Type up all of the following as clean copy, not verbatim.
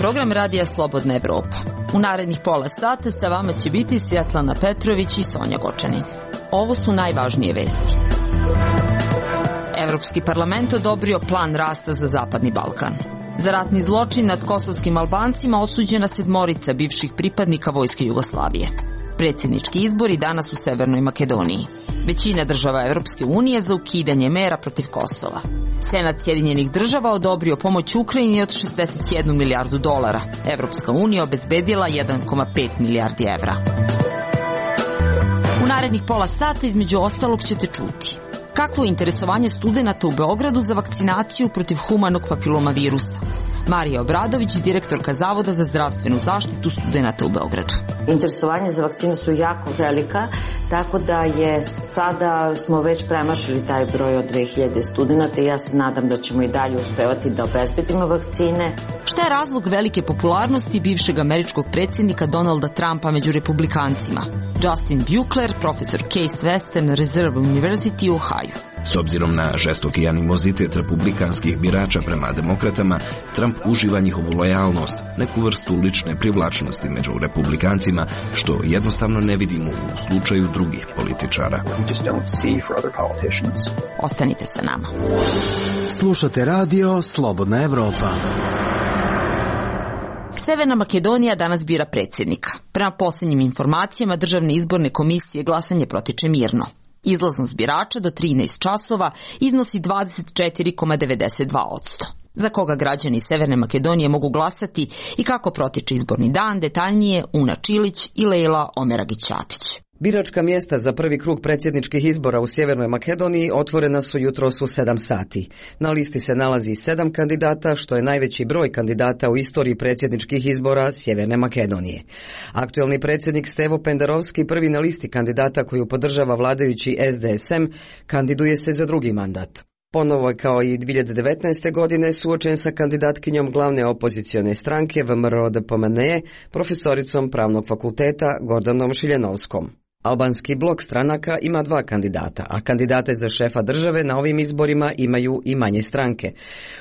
program Radija Slobodna Evropa. U narednih pola sata sa vama će biti Svjetlana Petrović i Sonja Gočanin. Ovo su najvažnije vesti. Evropski parlament odobrio plan rasta za Zapadni Balkan. Za ratni zločin nad kosovskim Albancima osuđena 7 bivših pripadnika Vojske Jugoslavije. Predsjednički izbori danas u Severnoj Makedoniji. Većina država Evropske unije za ukidanje mera protiv Kosova. Senat Sjedinjenih država odobrio pomoć Ukrajini od $61 milijardu. Evropska unija obezbedila 1,5 milijardi evra. U narednih pola sata između ostalog ćete čuti kakvo je interesovanje studenata u Beogradu za vakcinaciju protiv humanog papiloma-virusa. Marija Obradović, direktorka Zavoda za zdravstvenu zaštitu studenata u Beogradu. Interesovanje za vakcinu su jako velika, tako da je sada smo već premašili taj broj od 2000 studenata i ja se nadam da ćemo i dalje uspevati da obezbedimo vakcine. Šta je razlog velike popularnosti bivšeg američkog predsjednika Donalda Trumpa među republikancima? Justin Buechler, profesor Case Western Reserve University u Ohio. S obzirom na žestoki animozitet republikanskih birača prema demokratama, Trump uživa njihovu lojalnost, neku vrstu lične privlačnosti među republikancima, što jednostavno ne vidimo u slučaju drugih političara. Ostanite sa nama. Slušate radio Slobodna Evropa. Severna Makedonija danas bira predsjednika. Prema posljednjim informacijama Državne izborne komisije glasanje protiče mirno. Izlaznost birača do 13 časova iznosi 24,92%. Za koga građani Severne Makedonije mogu glasati i kako protiče izborni dan, detaljnije Una Čilić i Lejla Omeragić-Ćatić. Biračka mjesta za prvi krug predsjedničkih izbora u Sjevernoj Makedoniji otvorena su jutros u 7 sati. Na listi se nalazi 7 kandidata, što je najveći broj kandidata u istoriji predsjedničkih izbora Sjeverne Makedonije. Aktuelni predsjednik Stevo Pendarovski, prvi na listi kandidata koju podržava vladajući SDSM, kandiduje se za drugi mandat. Ponovo je kao i 2019. godine suočen sa kandidatkinjom glavne opozicione stranke VMRO-DPMNE, profesoricom pravnog fakulteta Gordanom Šiljanovskom. Albanski blok stranaka ima 2 kandidata, a kandidate za šefa države na ovim izborima imaju i manje stranke.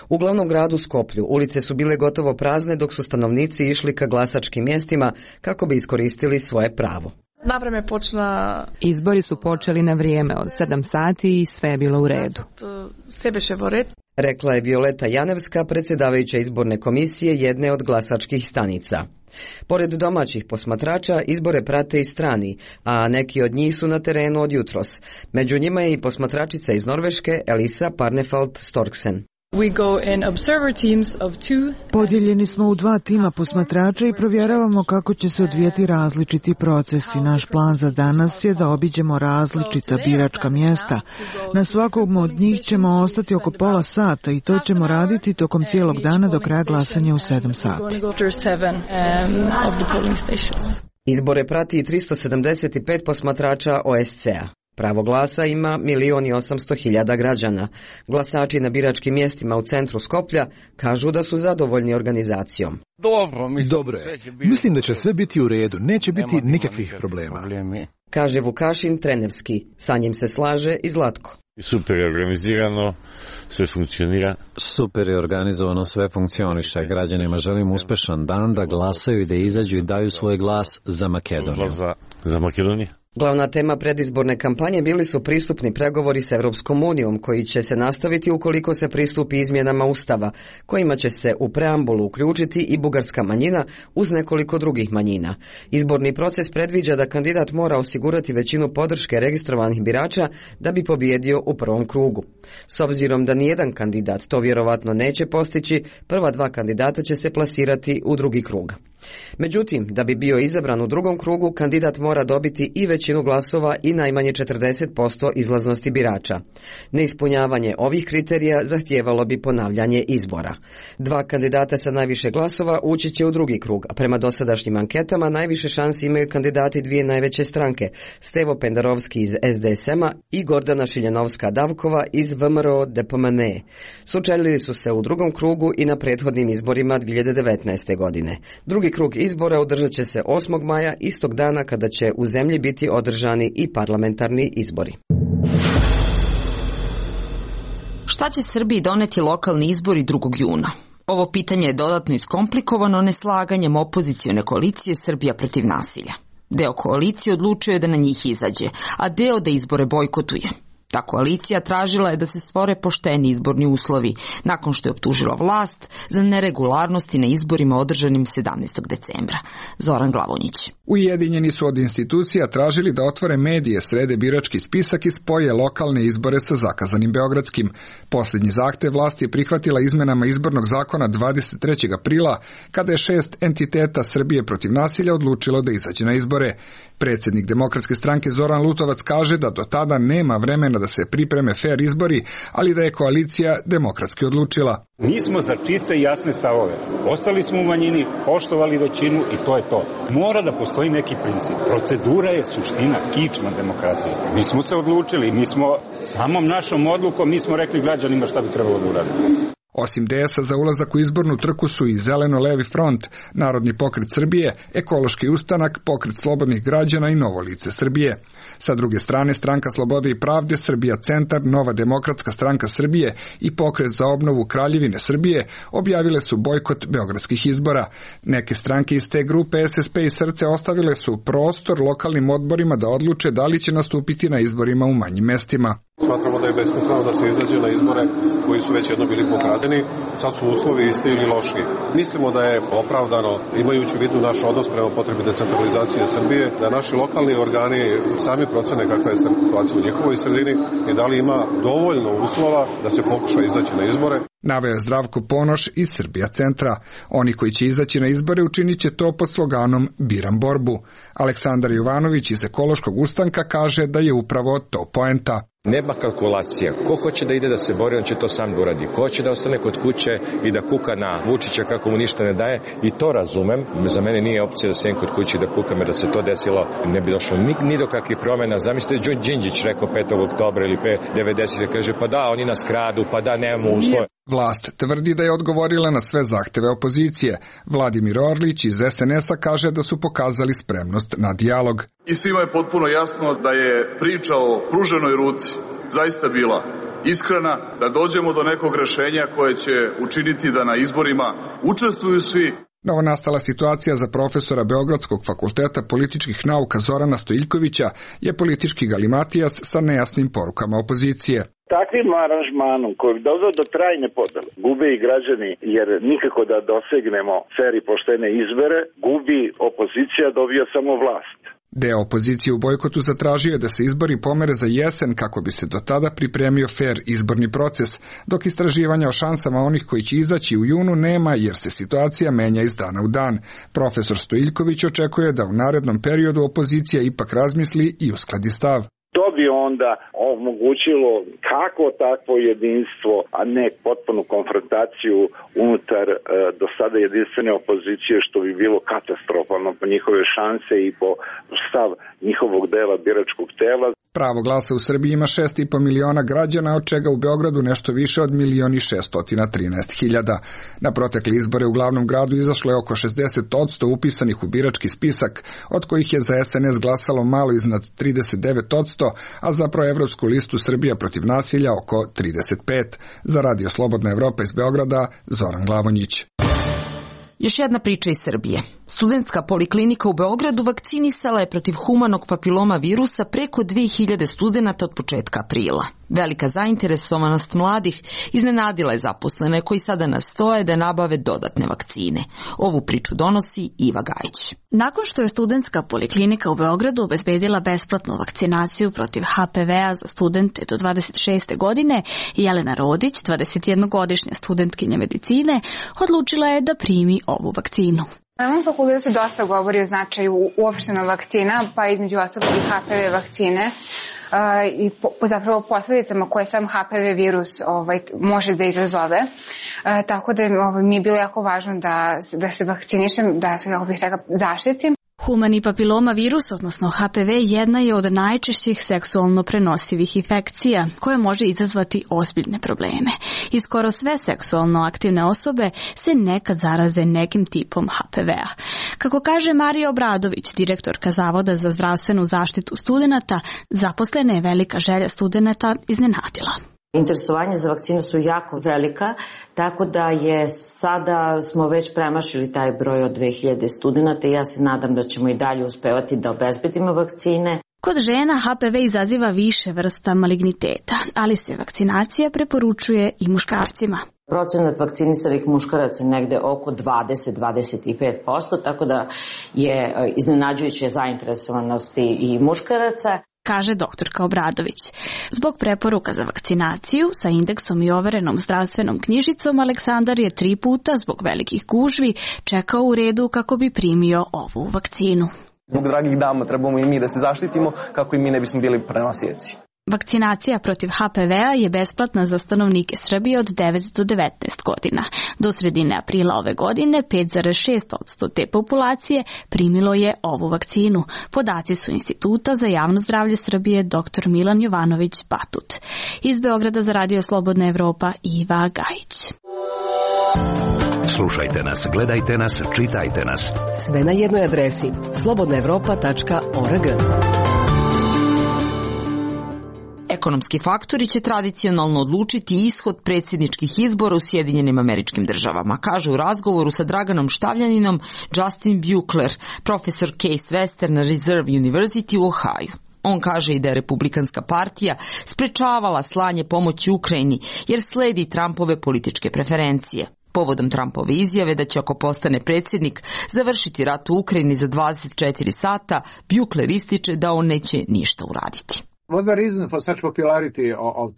U glavnom gradu Skoplju ulice su bile gotovo prazne dok su stanovnici išli ka glasačkim mjestima kako bi iskoristili svoje pravo. Izbori su počeli na vrijeme od 7 sati i sve je bilo u redu. Rekla je Violeta Janevska, predsjedavajuća izborne komisije jedne od glasačkih stanica. Pored domaćih posmatrača, izbore prate i strani, a neki od njih su na terenu od jutros. Među njima je i posmatračica iz Norveške, Elisa Parnefald Storksen. Podijeljeni smo u 2 tima posmatrača i provjeravamo kako će se odvijeti različiti procesi. Naš plan za danas je da obiđemo različita biračka mjesta. Na svakom od njih ćemo ostati oko pola sata i to ćemo raditi tokom cijelog dana do kraja glasanja u 7 sati. Izbore prati i 375 posmatrača OSCE-a. Pravo glasa ima 1.800.000 građana. Glasači na biračkim mjestima u centru Skoplja kažu da su zadovoljni organizacijom. Dobro je. Mislim da će sve biti u redu. Neće biti nikakvih problema. Kaže Vukašin Trenevski. Sa njim se slaže i Zlatko. Super je organizirano, sve funkcionira. Super je organizovano, sve funkcioniše. Građanima želim uspešan dan da glasaju i da izađu i daju svoj glas za Makedoniju. Za Makedoniju. Glavna tema predizborne kampanje bili su pristupni pregovori s Evropskom unijom, koji će se nastaviti ukoliko se pristupi izmjenama Ustava, kojima će se u preambulu uključiti i bugarska manjina uz nekoliko drugih manjina. Izborni proces predviđa da kandidat mora osigurati većinu podrške registrovanih birača da bi pobijedio u prvom krugu. S obzirom da nijedan kandidat to vjerovatno neće postići, prva 2 kandidata će se plasirati u drugi krug. Međutim, da bi bio izabran u drugom krugu, kandidat mora dobiti i većinu glasova i najmanje 40% izlaznosti birača. Neispunjavanje ovih kriterija zahtijevalo bi ponavljanje izbora. 2 kandidata sa najviše glasova ući će u drugi krug, a prema dosadašnjim anketama najviše šansi imaju kandidati 2 najveće stranke, Stevo Pendarovski iz SDSM-a i Gordana Šiljanovska-Davkova iz VMRO-DPMNE. Sučelili su se u drugom krugu i na prethodnim izborima 2019. godine. Drugi krug izbora održat će se 8. maja, istog dana kada će u zemlji biti održani i parlamentarni izbori. Šta će Srbiji doneti lokalni izbori 2. juna? Ovo pitanje je dodatno iskomplikovano neslaganjem opozicione koalicije Srbija protiv nasilja. Deo koalicije odlučio je da na njih izađe, a deo da izbore bojkotuje. Ta koalicija tražila je da se stvore pošteni izborni uslovi, nakon što je optužila vlast za neregularnosti na izborima održanim 17. decembra. Zoran Glavonjić. Ujedinjeni su od institucija tražili da otvore medije, srede birački spisak i spoje lokalne izbore sa zakazanim beogradskim. Posljednji zahtev vlast je prihvatila izmenama izbornog zakona 23. aprila, kada je 6 entiteta Srbije protiv nasilja odlučilo da izađe na izbore. Predsjednik Demokratske stranke Zoran Lutovac kaže da do tada nema vremena da se pripreme fer izbori, ali da je koalicija demokratski odlučila. Nismo za čiste i jasne stavove. Ostali smo u manjini, poštovali većinu i to je to. Mora da postoji neki princip. Procedura je suština, kičma demokratije. Mi smo se odlučili, mi smo samom našom odlukom, mi smo rekli građanima šta bi trebalo da uradimo. Osim DS-a za ulazak u izbornu trku su i Zeleno-levi front, Narodni pokret Srbije, Ekološki ustanak, Pokret slobodnih građana i Novo lice Srbije. Sa druge strane, Stranka slobode i pravde, Srbija centar, Nova demokratska stranka Srbije i Pokret za obnovu Kraljevine Srbije objavile su bojkot beogradskih izbora. Neke stranke iz te grupe, SSP i Srce, ostavile su prostor lokalnim odborima da odluče da li će nastupiti na izborima u manjim mestima. Smatramo da je besmisleno da se izađe na izbore koji su već jedno bili pokradeni, sad su uslovi isti ili lošiji. Mislimo da je opravdano, imajući u vidu naš odnos prema potrebi decentralizacije Srbije, da naši lokalni organi sami procene kakva je situacija u njihovoj sredini i da li ima dovoljno uslova da se pokuša izaći na izbore. Naveo je Zdravko Ponoš iz Srbija centra. Oni koji će izaći na izbore učinit će to pod sloganom Biram borbu. Aleksandar Jovanović iz Ekološkog ustanka kaže da je upravo to poenta. Nema kalkulacija. Ko hoće da ide da se bori, on će to sam da uradi. Ko hoće da ostane kod kuće i da kuka na Vučića kako mu ništa ne daje, i to razumem. Za mene nije opcija da sedim kod kuće i da kukam, jer da se to desilo ne bi došlo ni do kakvih promjena. Zamislite, Đinđić rekao 5. oktobra ili pre 90. kaže pa da, oni nas kradu, pa da, nemamo uslove. Vlast tvrdi da je odgovorila na sve zahteve opozicije. Vladimir Orlić iz SNS-a kaže da su pokazali spremnost na dijalog. I svima je potpuno jasno da je priča o pruženoj ruci zaista bila iskrena, da dođemo do nekog rešenja koje će učiniti da na izborima učestvuju svi. Novonastala situacija za profesora Beogradskog fakulteta političkih nauka Zorana Stojiljkovića je politički galimatijas sa nejasnim porukama opozicije. Takvim aranžmanom koji bi doveo do trajne podele gube i građani, jer nikako da dosegnemo fer i poštene izbore, gubi opozicija, dobija samo vlast. Deo opozicije u bojkotu zatražio je da se izbori pomere za jesen kako bi se do tada pripremio fer izborni proces, dok istraživanja o šansama onih koji će izaći u junu nema jer se situacija menja iz dana u dan. Profesor Stojiljković očekuje da u narednom periodu opozicija ipak razmisli i uskladi stav. To bi onda omogućilo kako takvo jedinstvo, a ne potpunu konfrontaciju unutar do sada jedinstvene opozicije, što bi bilo katastrofalno po njihove šanse i po stav njihovog dela biračkog tela. Pravo glasa u Srbiji ima 6,5 miliona građana, od čega u Beogradu nešto više od 1.613.000. Na protekli izbore u glavnom gradu izašlo je oko 60% upisanih u birački spisak, od kojih je za SNS glasalo malo iznad 39%, a za proevropsku listu Srbija protiv nasilja oko 35%. Za Radio Slobodna Evropa iz Beograda, Zoran Glavonjić. Još jedna priča iz Srbije. Studentska poliklinika u Beogradu vakcinisala je protiv humanog papiloma virusa preko 2000 studenata od početka aprila. Velika zainteresovanost mladih iznenadila je zaposlene koji sada nastoje da nabave dodatne vakcine. Ovu priču donosi Iva Gajić. Nakon što je studentska poliklinika u Beogradu obezbedila besplatnu vakcinaciju protiv HPV-a za studente do 26. godine, Jelena Rodić, 21-godišnja studentkinja medicine, odlučila je da primi ovu vakcinu. Na mom fakultetu se dosta govori o značaju uopšteno vakcina, pa između ostalog i HPV vakcine i zapravo posledicama koje sam HPV virus može da izazove. Tako da mi je bilo jako važno da se vakcinišem, da se zaštitim. Humani papiloma virus, odnosno HPV, jedna je od najčešćih seksualno prenosivih infekcija koja može izazvati ozbiljne probleme. I skoro sve seksualno aktivne osobe se nekad zaraze nekim tipom HPV-a. Kako kaže Marija Obradović, direktorka Zavoda za zdravstvenu zaštitu studenata, zaposlena je velika želja studenata iznenadila. Interesovanje za vakcinu su jako velika, tako da je sada smo već premašili taj broj od 2000 studenta i ja se nadam da ćemo i dalje uspevati da obezbedimo vakcine. Kod žena HPV izaziva više vrsta maligniteta, ali se vakcinacija preporučuje i muškarcima. Procenat vakcinisanih muškaraca je negde oko 20-25%, tako da je iznenađujuće zainteresovanosti i muškaraca. Kaže doktorka Obradović. Zbog preporuka za vakcinaciju sa indeksom i overenom zdravstvenom knjižicom, Aleksandar je 3 puta zbog velikih gužvi čekao u redu kako bi primio ovu vakcinu. Zbog dragih dama trebamo i mi da se zaštitimo kako i mi ne bismo bili prenosioci. Vakcinacija protiv HPV-a je besplatna za stanovnike Srbije od 9 do 19 godina. Do sredine aprila ove godine 5,6% te populacije primilo je ovu vakcinu. Podaci su Instituta za javno zdravlje Srbije dr. Milan Jovanović Batut. Iz Beograda za Radio Slobodna Evropa Iva Gajić. Slušajte nas, gledajte nas, čitajte nas. Sve na jednoj adresi slobodnaevropa.org. Ekonomski faktori će tradicionalno odlučiti ishod predsjedničkih izbora u Sjedinjenim Američkim Državama, kaže u razgovoru sa Draganom Štavljaninom Justin Buechler, profesor Case Western Reserve University u Ohio. On kaže i da je Republikanska partija sprečavala slanje pomoći Ukrajini jer sledi Trumpove političke preferencije. Povodom Trumpove izjave da će ako postane predsjednik završiti rat u Ukrajini za 24 sata, Buechler ističe da on neće ništa uraditi.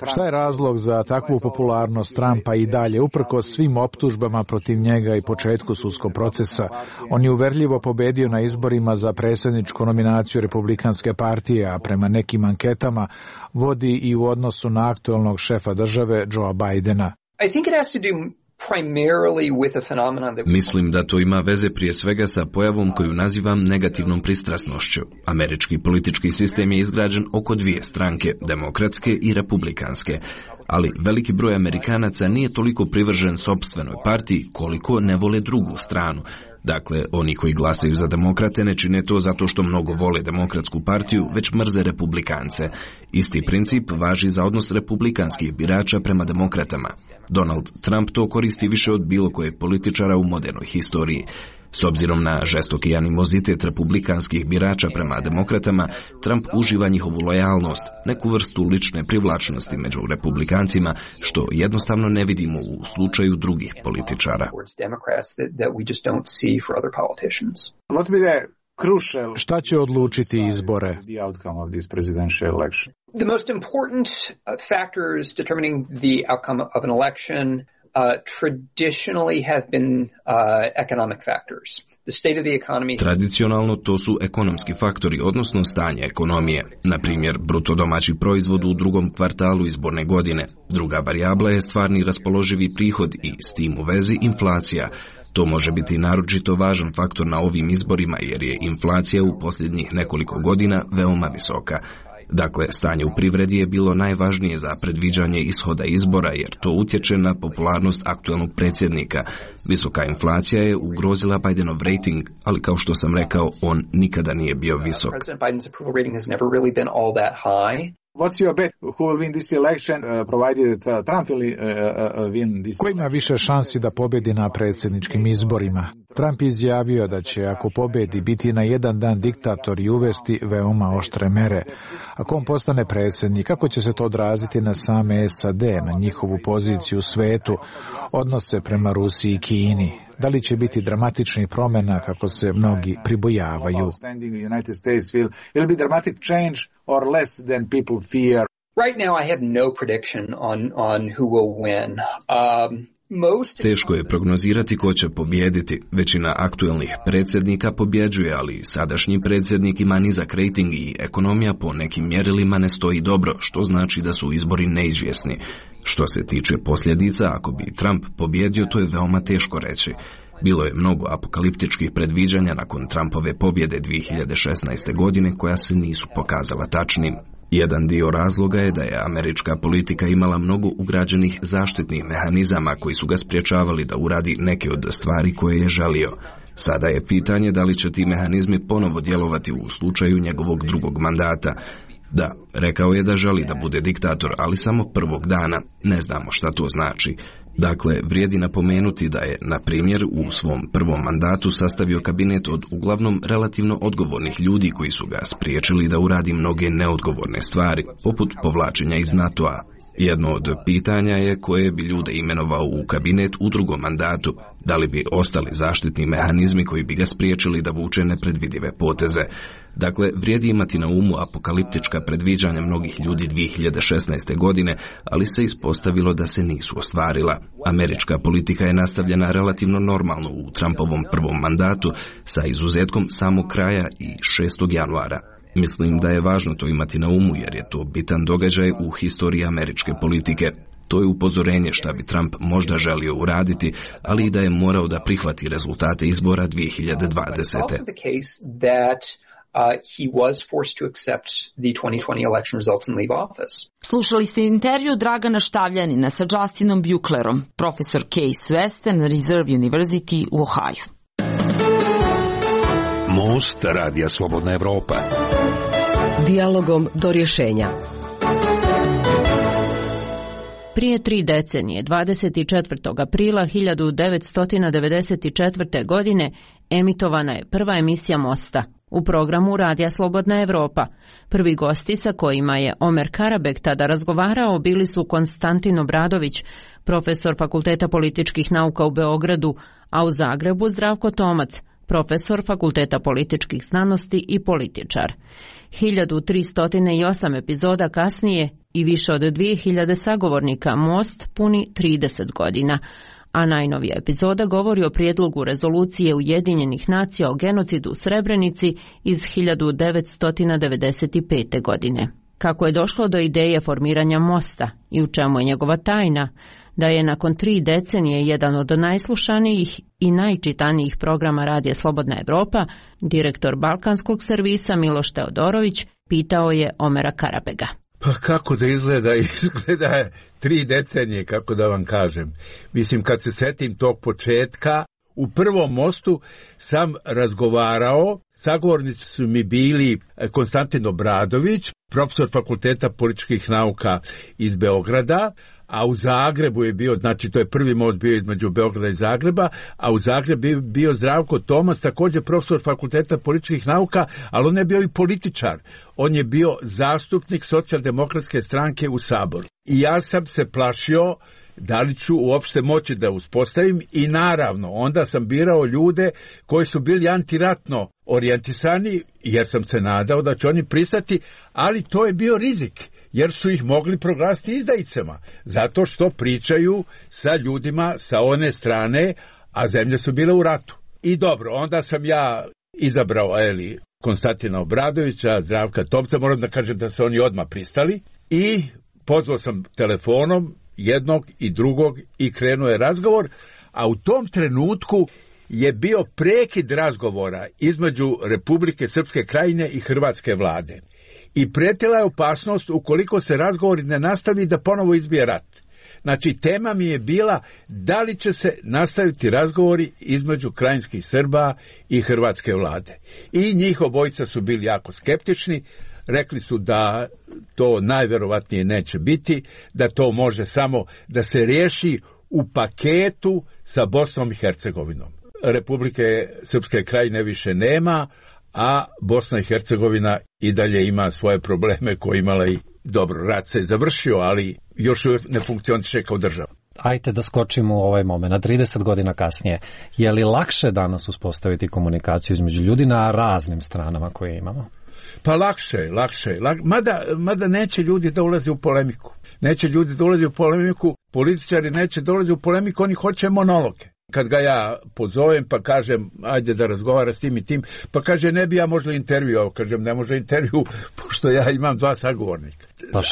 Šta je razlog za takvu popularnost Trumpa i dalje? Uprkos svim optužbama protiv njega i početku sudskog procesa, on je uverljivo pobedio na izborima za predsjedničku nominaciju Republikanske partije, a prema nekim anketama vodi i u odnosu na aktualnog šefa države Joea Bidena. Mislim da to ima veze prije svega sa pojavom koju nazivam negativnom pristrasnošću. Američki politički sistem je izgrađen oko 2 stranke, demokratske i republikanske. Ali veliki broj Amerikanaca nije toliko privržen sopstvenoj partiji koliko ne vole drugu stranu. Dakle, oni koji glasaju za demokrate ne čine to zato što mnogo vole demokratsku partiju, već mrze republikance. Isti princip važi za odnos republikanskih birača prema demokratama. Donald Trump to koristi više od bilo kojeg političara u modernoj historiji. S obzirom na žestoki animozitet republikanskih birača prema demokratama, Trump uživa njihovu lojalnost, neku vrstu lične privlačnosti među republikancima, što jednostavno ne vidimo u slučaju drugih političara. Šta će odlučiti izbore? The most important factors determining the outcome of an election traditionally have been economic factors. The state of the economy. Tradicionalno to su ekonomski faktori, odnosno stanje ekonomije. Na primjer, bruto domaći proizvod u drugom kvartalu izborne godine. Druga varijabla je stvarni raspoloživi prihod i s tim u vezi inflacija. To može biti naročito važan faktor na ovim izborima jer je inflacija u posljednjih nekoliko godina veoma visoka. Dakle, stanje u privredi je bilo najvažnije za predviđanje ishoda izbora jer to utječe na popularnost aktualnog predsjednika. Visoka inflacija je ugrozila Bidenov rating, ali kao što sam rekao, on nikada nije bio visok. What's your bet? Who will win this election, provided Trump will win this? Ko ima više šansi da pobedi na predsjedničkim izborima? Trump izjavio da će, ako pobedi, biti na jedan dan diktator i uvesti veoma oštre mere. Ako on postane predsjednik, kako će se to odraziti na same SAD, na njihovu poziciju u svetu, odnose prema Rusiji i Kini? Da li će biti dramatičnih promjena kako se mnogi pribojavaju? Right now I have no prediction on who will win. Teško je prognozirati ko će pobijediti. Većina aktualnih predsjednika pobjeđuje, ali sadašnji predsjednik ima nizak rejting i ekonomija po nekim mjerilima ne stoji dobro, što znači da su izbori neizvjesni. Što se tiče posljedica, ako bi Trump pobjedio, to je veoma teško reći. Bilo je mnogo apokaliptičkih predviđanja nakon Trumpove pobjede 2016. godine koja se nisu pokazala tačnim. Jedan dio razloga je da je američka politika imala mnogo ugrađenih zaštitnih mehanizama koji su ga sprječavali da uradi neke od stvari koje je želio. Sada je pitanje da li će ti mehanizmi ponovo djelovati u slučaju njegovog drugog mandata. Da, rekao je da želi da bude diktator, ali samo prvog dana. Ne znamo šta to znači. Dakle, vrijedi napomenuti da je, na primjer, u svom prvom mandatu sastavio kabinet od uglavnom relativno odgovornih ljudi koji su ga spriječili da uradi mnoge neodgovorne stvari, poput povlačenja iz NATO-a. Jedno od pitanja je koje bi ljude imenovao u kabinet u drugom mandatu, da li bi ostali zaštitni mehanizmi koji bi ga spriječili da vuče nepredvidive poteze. Dakle, vrijedi imati na umu apokaliptička predviđanja mnogih ljudi 2016. godine, ali se ispostavilo da se nisu ostvarila. Američka politika je nastavljena relativno normalno u Trumpovom prvom mandatu, sa izuzetkom samog kraja i 6. januara. Mislim da je važno to imati na umu jer je to bitan događaj u historiji američke politike. To je upozorenje šta bi Trump možda želio uraditi, ali i da je morao da prihvati rezultate izbora 2020. He was forced to accept the 2020 election results and leave office. Slušali ste intervju Dragana Štavljanina sa Justinom Buechlerom, profesor Case Western Reserve University u Ohaju. Most Radija Slobodna Evropa. Dijalogom do rješenja. Prije 3 decenije, 24. aprila 1994. godine, emitovana je prva emisija Mosta u programu Radija Slobodna Evropa. Prvi gosti sa kojima je Omer Karabek tada razgovarao bili su Konstantin Obradović, profesor Fakulteta političkih nauka u Beogradu, a u Zagrebu Zdravko Tomac, profesor Fakulteta političkih znanosti i političar. 1308 epizoda kasnije i više od 2000 sagovornika Most puni 30 godina, a najnovija epizoda govori o prijedlogu rezolucije Ujedinjenih nacija o genocidu u Srebrenici iz 1995. godine. Kako je došlo do ideje formiranja Mosta i u čemu je njegova tajna, da je nakon 3 decenije jedan od najslušanijih i najčitanijih programa Radija Slobodna Evropa, direktor Balkanskog servisa Miloš Teodorović pitao je Omera Karabega. Pa kako da izgleda? Izgleda je 3 decenije, kako da vam kažem. Mislim, kad se setim tog početka, u prvom Mostu sam razgovarao, sagovornici su mi bili Konstantin Obradović, profesor Fakulteta političkih nauka iz Beograda, a u Zagrebu je bio, znači to je prvi most bio između Beograda i Zagreba, a u Zagrebu je bio Zdravko Tomac, također profesor Fakulteta političkih nauka, ali on je bio i političar. On je bio zastupnik Socijaldemokratske stranke u Saboru. I ja sam se plašio da li ću uopšte moći da uspostavim i naravno onda sam birao ljude koji su bili antiratno orijentisani jer sam se nadao da će oni pristati, ali to je bio rizik jer su ih mogli proglasiti izdajicama zato što pričaju sa ljudima sa one strane, a zemlje su bile u ratu. I dobro, onda sam ja izabrao Konstantina Obradovića, Zdravka Tomca, moram da kažem da su oni odmah pristali i pozvao sam telefonom jednog i drugog i krenuo je razgovor, a u tom trenutku je bio prekid razgovora između Republike Srpske Krajine i Hrvatske vlade. I prijetila je opasnost ukoliko se razgovori ne nastavi da ponovo izbije rat. Znači, tema mi je bila da li će se nastaviti razgovori između krajinskih Srba i Hrvatske vlade. I njih obojica su bili jako skeptični, rekli su da to najverovatnije neće biti, da to može samo da se riješi u paketu sa Bosnom i Hercegovinom. Republike Srpske Krajine više nema, a Bosna i Hercegovina i dalje ima svoje probleme koje imala i dobro, rat se je završio, ali još ne funkcioniše kao država. Ajde da skočimo u ovaj moment, na 30 godina kasnije. Je li lakše danas uspostaviti komunikaciju između ljudi na raznim stranama koje imamo? Pa lakše. Mada neće ljudi da ulaze u polemiku. Političari neće dolaze u polemiku, oni hoće monologe. Kad ga ja pozovem pa kažem ajde da razgovara s tim i tim, pa kaže ne bi ja možda intervju, kažem ne može intervju pošto ja imam 2 sagovornika. Pa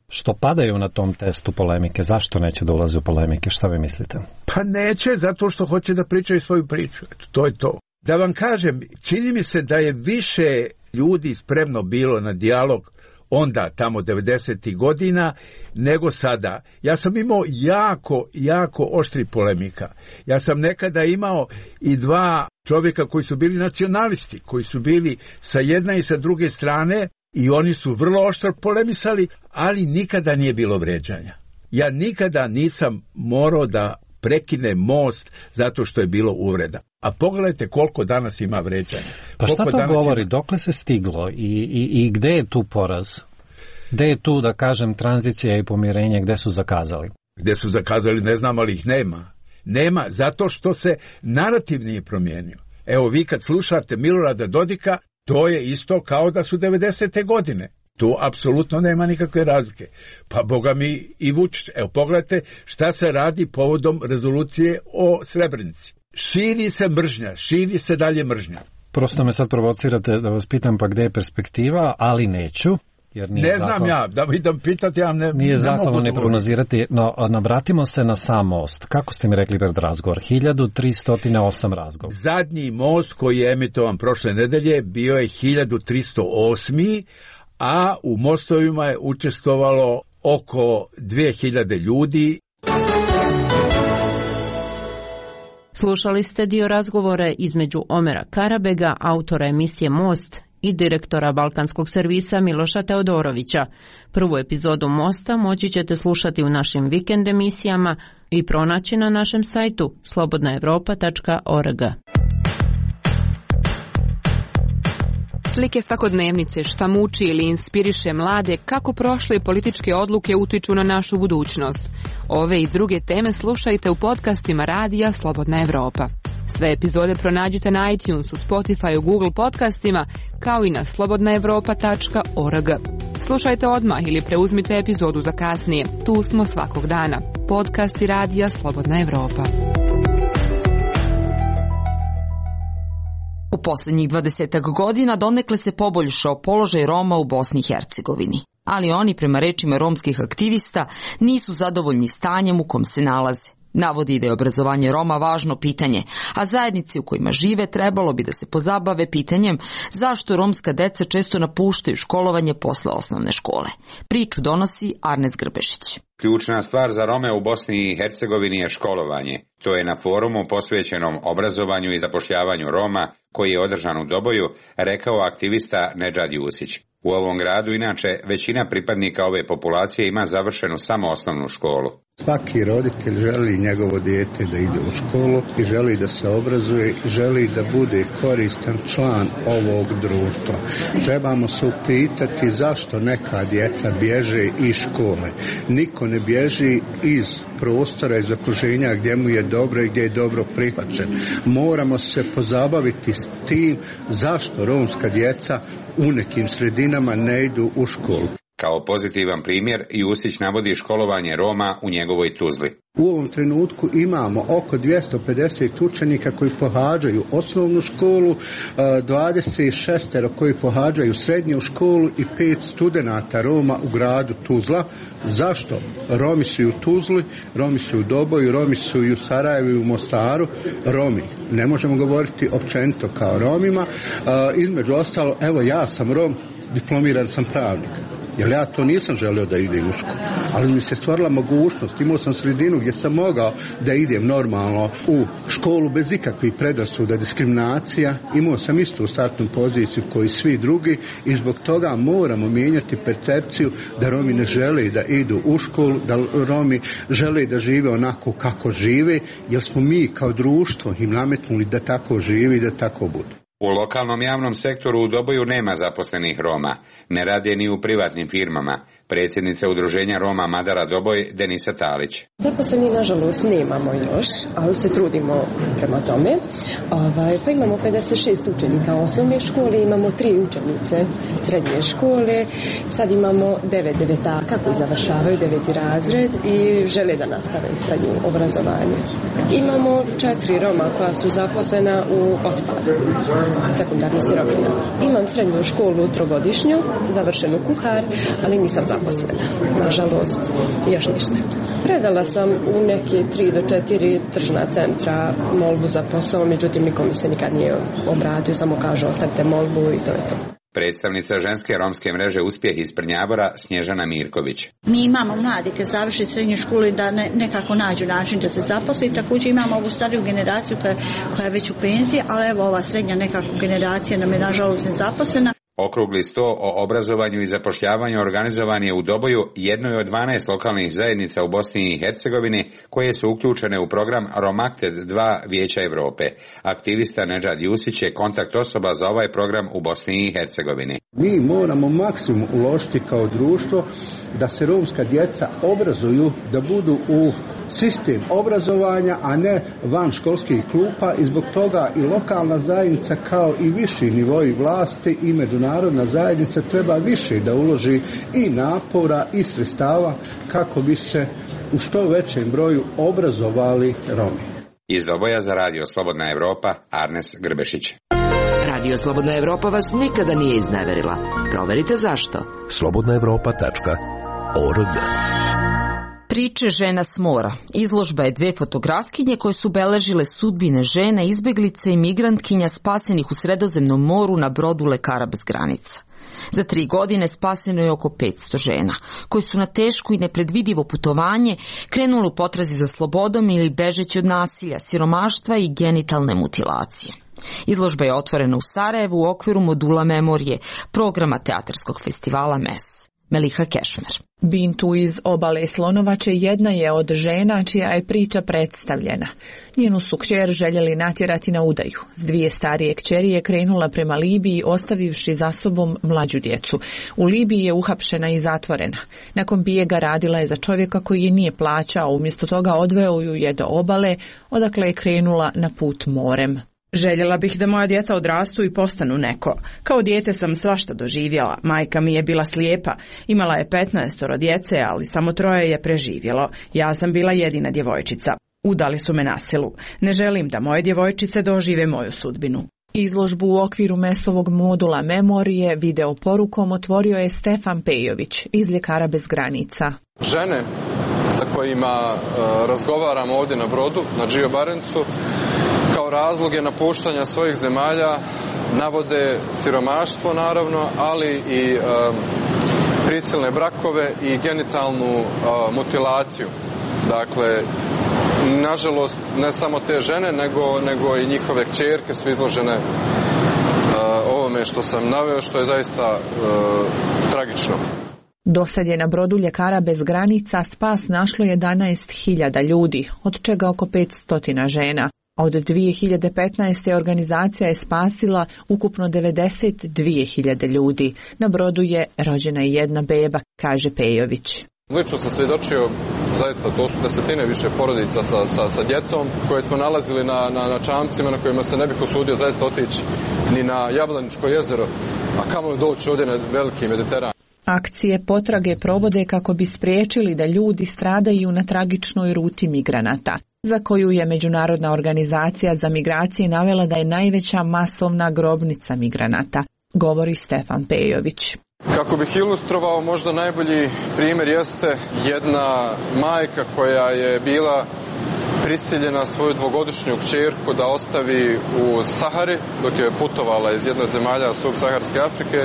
što padaju na tom testu polemike, zašto neće da ulaze u polemike, šta vi mislite? Pa neće, zato što hoće da pričaju svoju priču, to je to. Da vam kažem, čini mi se da je više ljudi spremno bilo na dijalog onda, tamo 90. godina, nego sada. Ja sam imao jako oštri polemika. Ja sam nekada imao i 2 čovjeka koji su bili nacionalisti, koji su bili sa jedne i sa druge strane, i oni su vrlo oštro polemisali, ali nikada nije bilo vređanja. Ja nikada nisam morao da prekine most zato što je bilo uvreda. A pogledajte koliko danas ima vređanja. Pa šta to govori? Dokle se stiglo i gde je tu poraz? Gde je tu, da kažem, tranzicija i pomirenje, gde su zakazali? Gde su zakazali, ne znam, ali ih nema. Nema, zato što se narativ nije promijenio. Evo, vi kad slušate Milorada Dodika, to je isto kao da su 90. godine. Tu apsolutno nema nikakve razlike. Pa boga mi i Vučić. Evo, pogledajte šta se radi povodom rezolucije o Srebrenici. Širi se mržnja, širi se dalje mržnja. Prosto me sad provocirate da vas pitam pa gde je perspektiva, ali neću. Jer nije ne znam ja, da idem pitati, ja nije zahvalno ne prognozirati, no nabratimo se na sam most. Kako ste mi rekli pred razgovor? 1308 razgovor. Zadnji most koji je emitovan prošle nedelje bio je 1308, a u mostovima je učestvovalo oko 2000 ljudi. Slušali ste dio razgovora između Omera Karabega, autora emisije Most, i direktora Balkanskog servisa Miloša Teodorovića. Prvu epizodu Mosta moći ćete slušati u našim vikend emisijama i pronaći na našem sajtu slobodnaevropa.org. Slike svakodnevnice, šta muči ili inspiriše mlade, kako prošle političke odluke utiču na našu budućnost. Ove i druge teme slušajte u podcastima radija Slobodna Evropa. Sve epizode pronađite na iTunesu, Spotify, Google podcastima, kao i na slobodnaevropa.org. Slušajte odmah ili preuzmite epizodu za kasnije. Tu smo svakog dana. Podcasti radija Slobodna Evropa. U poslednjih 20 godina donekle se poboljšao položaj Roma u Bosni i Hercegovini. Ali oni, prema rečima romskih aktivista, nisu zadovoljni stanjem u kom se nalaze. Navodi da je obrazovanje Roma važno pitanje, a zajednici u kojima žive trebalo bi da se pozabave pitanjem zašto romska deca često napuštaju školovanje posle osnovne škole. Priču donosi Arnes Grbešić. Ključna stvar za Rome u Bosni i Hercegovini je školovanje. To je na forumu posvećenom obrazovanju i zapošljavanju Roma, koji je održan u Doboju, rekao aktivista Nedžad Jusić. U ovom gradu, inače, većina pripadnika ove populacije ima završenu samo osnovnu školu. Svaki roditelj želi njegovo dijete da ide u školu i želi da se obrazuje i želi da bude koristan član ovog društva. Trebamo se upitati zašto neka djeca bježe iz škole. Niko ne bježi iz prostora, iz okruženja gdje mu je dobro i gdje je dobro prihvaćen. Moramo se pozabaviti s tim zašto romska djeca u nekim sredinama ne idu u školu. Kao pozitivan primjer, Jusić navodi školovanje Roma u njegovoj Tuzli. U ovom trenutku imamo oko 250 učenika koji pohađaju osnovnu školu, 26 koji pohađaju srednju školu i 5 studenata Roma u gradu Tuzla. Zašto? Romi su i u Tuzli, Romi su u Doboju, Romi su i u Sarajevu i u Mostaru. Romi, ne možemo govoriti općenito kao Romima. Između ostalo, evo ja sam Rom, diplomiran sam pravnik. Jer ja to nisam želio da idem u školu. Ali mi se stvorila mogućnost, imao sam sredinu gdje sam mogao da idem normalno u školu bez ikakvih predrasuda, diskriminacija. Imao sam istu startnu poziciju koji svi drugi i zbog toga moramo mijenjati percepciju da Romi ne žele da idu u školu, da Romi žele da žive onako kako žive, jer smo mi kao društvo im nametnuli da tako živi i da tako budu. U lokalnom javnom sektoru u Doboju nema zaposlenih Roma, ne rade ni u privatnim firmama. Predsjednica udruženja Roma Madara Doboj, Denisa Talić. Zaposleni nažalost nemamo još, ali se trudimo prema tome. Pa imamo 56 učenika osnovne škole, imamo 3 učenice srednje škole, sad imamo 9 devetaka koji završavaju 9. razred i žele da nastave srednje obrazovanje. Imamo 4 Roma koja su zaposlena u otpadu, sekundarna sirovina. Imam srednju školu 3-godišnju, završenu kuhar, ali nisam zaposlena. Nažalost, još ništa. Predala sam u neki 3 do 4 tržna centra molbu za posao, međutim niko mi se nikad nije obratio, samo kažu ostavite molbu i to je to. Predstavnica ženske romske mreže Uspjeh iz Prnjavora, Snježana Mirković. Mi imamo mlade kad završi srednju školu da nekako nađu način da se zaposli. Također imamo ovu stariju generaciju koja je već u penziji, ali evo ova srednja nekako generacija nam je nažalost nezaposlena. Okrugli sto o obrazovanju i zapošljavanju organizovan je u Doboju, jednoj od 12 lokalnih zajednica u Bosni i Hercegovini koje su uključene u program Romakted 2 Vijeća Evrope. Aktivista Nedžad Jusić je kontakt osoba za ovaj program u Bosni i Hercegovini. Mi moramo maksimum uložiti kao društvo da se romska djeca obrazuju, da budu u sistem obrazovanja, a ne van školskih klupa, i zbog toga i lokalna zajednica kao i viši nivoi vlasti i međunarodna zajednica treba više da uloži i napora i sredstava kako bi se u što većem broju obrazovali Romi. Iz Doboja za Radio Slobodna Evropa, Arnes Grbešić. Radio Slobodna Evropa vas nikada nije izneverila. Proverite zašto. slobodnaevropa.org. Priče žena s mora. Izložba je 2 fotografkinje koje su beležile sudbine žena, izbeglice i migrantkinja spasenih u Sredozemnom moru na brodu Lekara bez granica. Za 3 godine spaseno je oko 500 žena, koje su na teško i nepredvidivo putovanje krenule u potrazi za slobodom ili bežeći od nasilja, siromaštva i genitalne mutilacije. Izložba je otvorena u Sarajevu u okviru modula Memorije, programa teatarskog festivala MES. Meliha Kešmer. Bintu iz obale Slonovače jedna je od žena čija je priča predstavljena. Njenu su kćer željeli natjerati na udaju. S 2 starije kćeri je krenula prema Libiji ostavivši za sobom mlađu djecu. U Libiji je uhapšena i zatvorena. Nakon bijega radila je za čovjeka koji je nije plaćao, umjesto toga odveo ju je do obale, odakle je krenula na put morem. Željela bih da moja djeca odrastu i postanu neko. Kao dijete sam svašta doživjela. Majka mi je bila slijepa. Imala je 15 djece, ali samo 3 je preživjelo. Ja sam bila jedina djevojčica. Udali su me na silu. Ne želim da moje djevojčice dožive moju sudbinu. Izložbu u okviru MES-ovog modula Memorije video porukom otvorio je Stefan Pejović iz Ljekara bez granica. Žene sa kojima razgovaramo ovdje na brodu, na Gio Barencu, kao razloge napuštanja svojih zemalja navode siromaštvo naravno, ali i prisilne brakove i genitalnu mutilaciju. Dakle, nažalost, ne samo te žene, nego i njihove kćerke su izložene ovome što sam naveo, što je zaista tragično. Dosad je na brodu Ljekara bez granica spas našlo 11.000 ljudi, od čega oko 500 žena. Od 2015. organizacija je spasila ukupno 92.000 ljudi. Na brodu je rođena i 1 beba, kaže Pejović. Lično sam svjedočio, zaista to su desetine više porodica sa djecom koje smo nalazili na čamcima na kojima se ne bih usudio zaista otići ni na Jablaničko jezero, a kamoli doći ovdje na veliki Mediteran. Akcije potrage provode kako bi spriječili da ljudi stradaju na tragičnoj ruti migranata, za koju je Međunarodna organizacija za migracije navela da je najveća masovna grobnica migranata, govori Stefan Pejović. Kako bih ilustrovao, možda najbolji primjer jeste jedna majka koja je bila prisiljena svoju 2-godišnju kćerku da ostavi u Sahari dok je putovala iz jedne od zemalja subsaharske Afrike,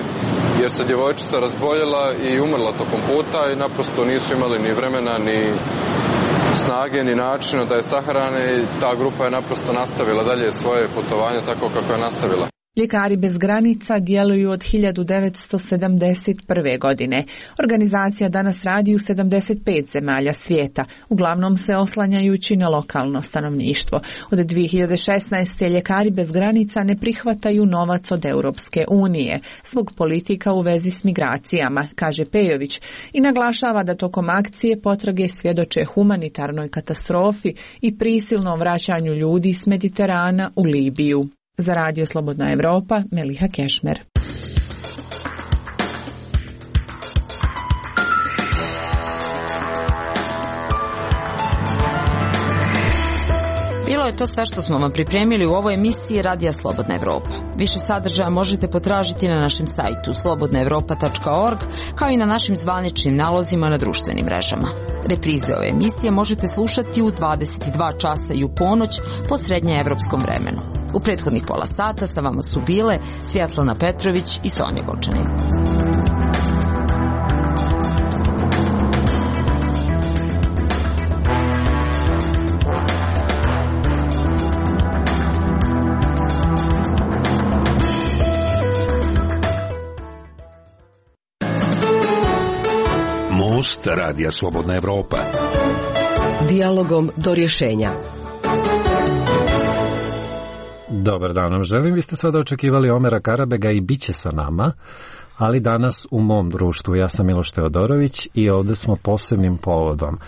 jer se djevojčica razboljela i umrla tokom puta i naprosto nisu imali ni vremena ni snage ni načina da je sahrane i ta grupa je naprosto nastavila dalje svoje putovanje tako kako je nastavila. Ljekari bez granica djeluju od 1971. godine. Organizacija danas radi u 75 zemalja svijeta, uglavnom se oslanjajući na lokalno stanovništvo. Od 2016. Ljekari bez granica ne prihvataju novac od Europske unije zbog politika u vezi s migracijama, kaže Pejović, i naglašava da tokom akcije potrage svjedoče humanitarnoj katastrofi i prisilnom vraćanju ljudi s Mediterana u Libiju. Za Radio Slobodna Evropa, Meliha Kešmer. Bilo je to sve što smo vam pripremili u ovoj emisiji Radija Slobodna Evropa. Više sadržaja možete potražiti na našem sajtu slobodnaevropa.org, kao i na našim zvaničnim nalozima na društvenim mrežama. Reprize ove emisije možete slušati u 22 časa i u ponoć po srednjeevropskom vremenu. U prethodnih pola sata sa vama su bile Svjetlana Petrović i Sonja Golčanin. Most Radija Slobodna Evropa. Dijalogom do rješenja. Dobar dan vam želim. Vi ste sada očekivali Omera Karabega i bit će sa nama, ali danas u mom društvu. Ja sam Miloš Teodorović i ovdje smo posebnim povodom.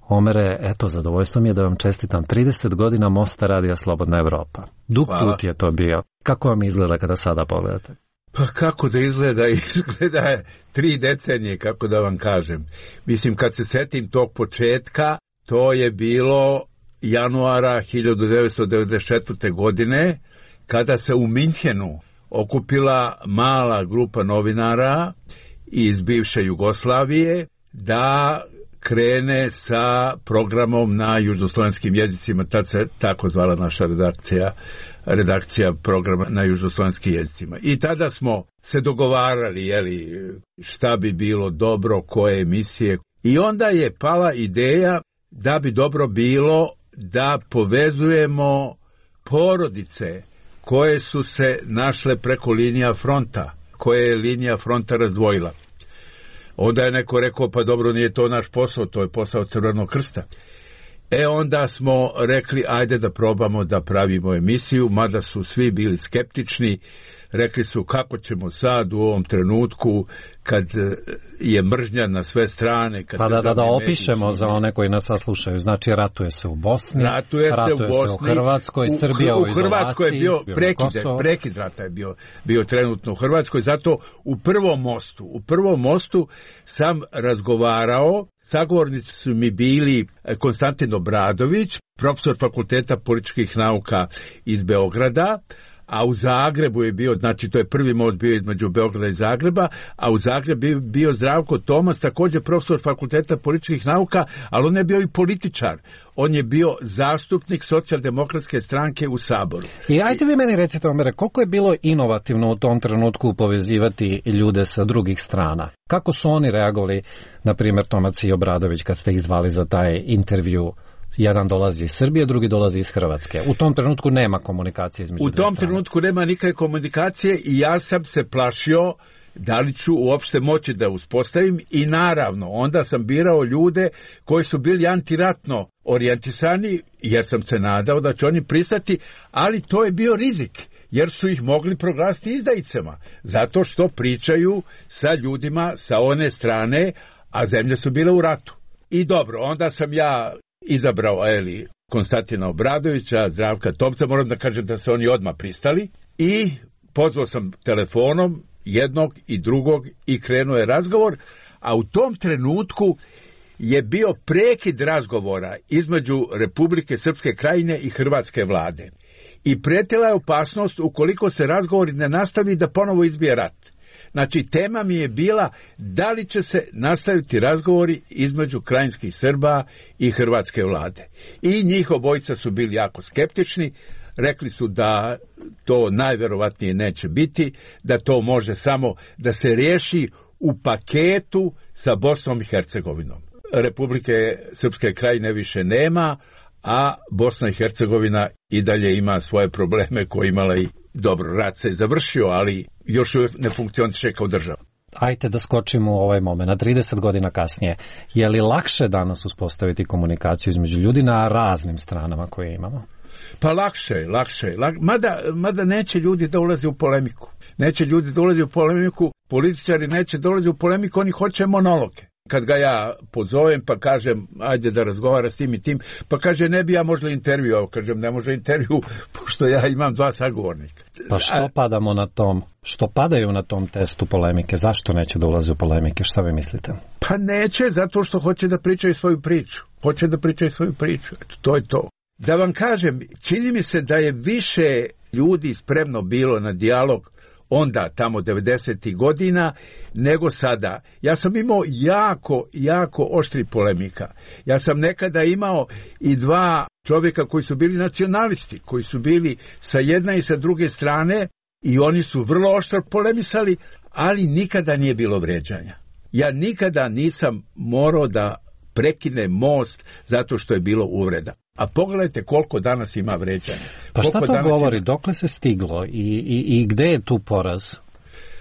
Omere, eto, zadovoljstvo mi je da vam čestitam 30 godina Mosta Radija Slobodna Evropa. Dug put je to bio. Kako vam izgleda kada sada pogledate? Pa kako da izgleda? Izgleda je 3 decenije, kako da vam kažem. Mislim, kad se setim tog početka, to je bilo januara 1994. godine, kada se u Minhenu okupila mala grupa novinara iz bivše Jugoslavije da krene sa programom na južnoslovenskim jezicima. Tad se tako zvala naša redakcija programa na južnoslovenskim jezicima. I tada smo se dogovarali, šta bi bilo dobro, koje emisije. I onda je pala ideja da bi dobro bilo da povezujemo porodice koje su se našle preko linija fronta, koje je linija fronta razdvojila. Onda je neko rekao, pa dobro, nije to naš posao, to je posao Crvenog krsta. Onda smo rekli, ajde da probamo da pravimo emisiju, mada su svi bili skeptični. Rekli su, kako ćemo sad u ovom trenutku kad je mržnja na sve strane. Kad da opišemo za one koji nas slušaju. Znači, ratuje se u Bosni, ratuje se u Hrvatskoj, Srbija u izolaciji. U Hrvatskoj je bio prekid rata je bio trenutno u Hrvatskoj. Zato u prvom mostu sam razgovarao, sagovornici su mi bili Konstantin Obradović, profesor Fakulteta političkih nauka iz Beograda, a u Zagrebu je bio, znači to je prvi most bio između Beograda i Zagreba, a u Zagrebu je bio Zdravko Tomas, također profesor Fakulteta političkih nauka, ali on je bio i političar. On je bio zastupnik Socijaldemokratske stranke u Saboru. I ajte vi meni recite, Omere, koliko je bilo inovativno u tom trenutku povezivati ljude sa drugih strana? Kako su oni reagovali, na primjer Tomac i Obradović, kad ste ih zvali za taj intervju? Jedan dolazi iz Srbije, drugi dolazi iz Hrvatske. U tom trenutku nema komunikacije između dvije strane. U tom trenutku nema nikakve komunikacije i ja sam se plašio da li ću uopšte moći da uspostavim i naravno onda sam birao ljude koji su bili antiratno orijentisani jer sam se nadao da će oni pristati, ali to je bio rizik jer su ih mogli proglasiti izdajicama zato što pričaju sa ljudima sa one strane, a zemlje su bile u ratu. I dobro, onda sam ja izabrao Konstantina Obradovića, Zdravka Tomca, moram da kažem da se oni odmah pristali i pozvao sam telefonom jednog i drugog i krenuo je razgovor, a u tom trenutku je bio prekid razgovora između Republike Srpske Krajine i Hrvatske vlade. I prijetila je opasnost ukoliko se razgovori ne nastavi da ponovo izbije rat. Znači, tema mi je bila da li će se nastaviti razgovori između krajinskih Srba i hrvatske vlade. I njih obojica su bili jako skeptični, rekli su da to najverovatnije neće biti, da to može samo da se riješi u paketu sa Bosnom i Hercegovinom. Republike Srpske Krajine više nema, a Bosna i Hercegovina i dalje ima svoje probleme koje imala i dobro, rat se je završio, ali još ne funkcioniše kao država. Ajde da skočimo u ovaj moment, 30 godina kasnije. Je li lakše danas uspostaviti komunikaciju između ljudi na raznim stranama koje imamo? Pa lakše. Mada neće ljudi da ulaze u polemiku. Političari neće dolaze u polemiku, oni hoće monologe. Kad ga ja pozovem pa kažem ajde da razgovara s tim i tim, pa kaže ne bi ja možda intervju, kažem ne može intervju pošto ja imam 2 sagovornika. Pa što padaju na tom testu polemike, zašto neće da ulaze u polemike, šta vi mislite? Pa neće, zato što hoće da pričaju svoju priču, eto, to je to. Da vam kažem, čini mi se da je više ljudi spremno bilo na dijalog onda, tamo 90. godina, nego sada. Ja sam imao jako oštri polemika. Ja sam nekada imao i 2 čovjeka koji su bili nacionalisti, koji su bili sa jedne i sa druge strane i oni su vrlo oštro polemisali, ali nikada nije bilo vređanja. Ja nikada nisam morao da prekinem most zato što je bilo uvreda. A pogledajte koliko danas ima vređanja. Pa šta to govori? Dokle se stiglo i gde je tu poraz?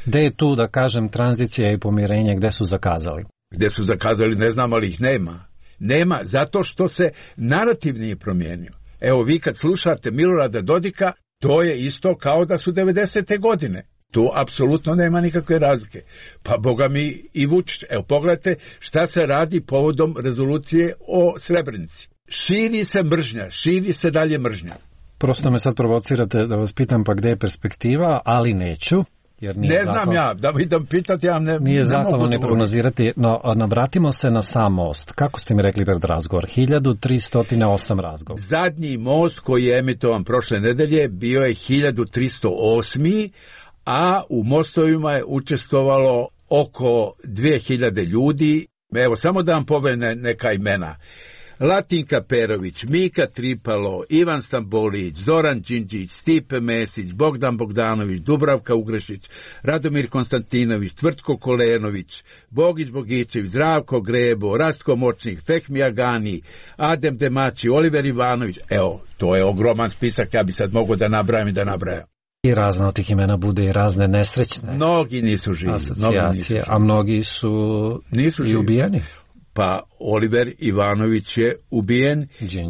Gde je tu, da kažem, tranzicija i pomirenje, gde su zakazali? Gde su zakazali, ne znam, ali ih nema. Nema, zato što se narativ nije promijenio. Evo, vi kad slušate Milorada Dodika, to je isto kao da su 90. godine. Tu apsolutno nema nikakve razlike. Pa boga mi i Vučić. Evo, pogledajte šta se radi povodom rezolucije o Srebrenici. Širi se mržnja, širi se dalje mržnja. Prosto me sad provocirate da vas pitam pa gde je perspektiva, ali neću. Jer nije ne znam ja, da idem pitati, ja ne nije zahvalno ne prognozirati, no vratimo se na sam most. Kako ste mi rekli pred razgovor? 1308 razgovor. Zadnji most koji je emitovan prošle nedelje bio je 1308, a u mostovima je učestvovalo oko 2000 ljudi. Evo, samo da vam povene neka imena. Latinka Perović, Mika Tripalo, Ivan Stambolić, Zoran Đinđić, Stipe Mesić, Bogdan Bogdanović, Dubravka Ugrešić, Radomir Konstantinović, Tvrtko Kolenović, Bogić Bogićević, Zdravko Grebo, Rastko Močnik, Fehmi Agani, Adem Demači, Oliver Ivanović. Evo, to je ogroman spisak, ja bi sad mogao da nabrajam i da nabrajam. I razne od tih imena bude i razne nesrećne. Mnogi nisu živi. Asocijacije, a mnogi su i ubijeni. Pa Oliver Ivanović je ubijen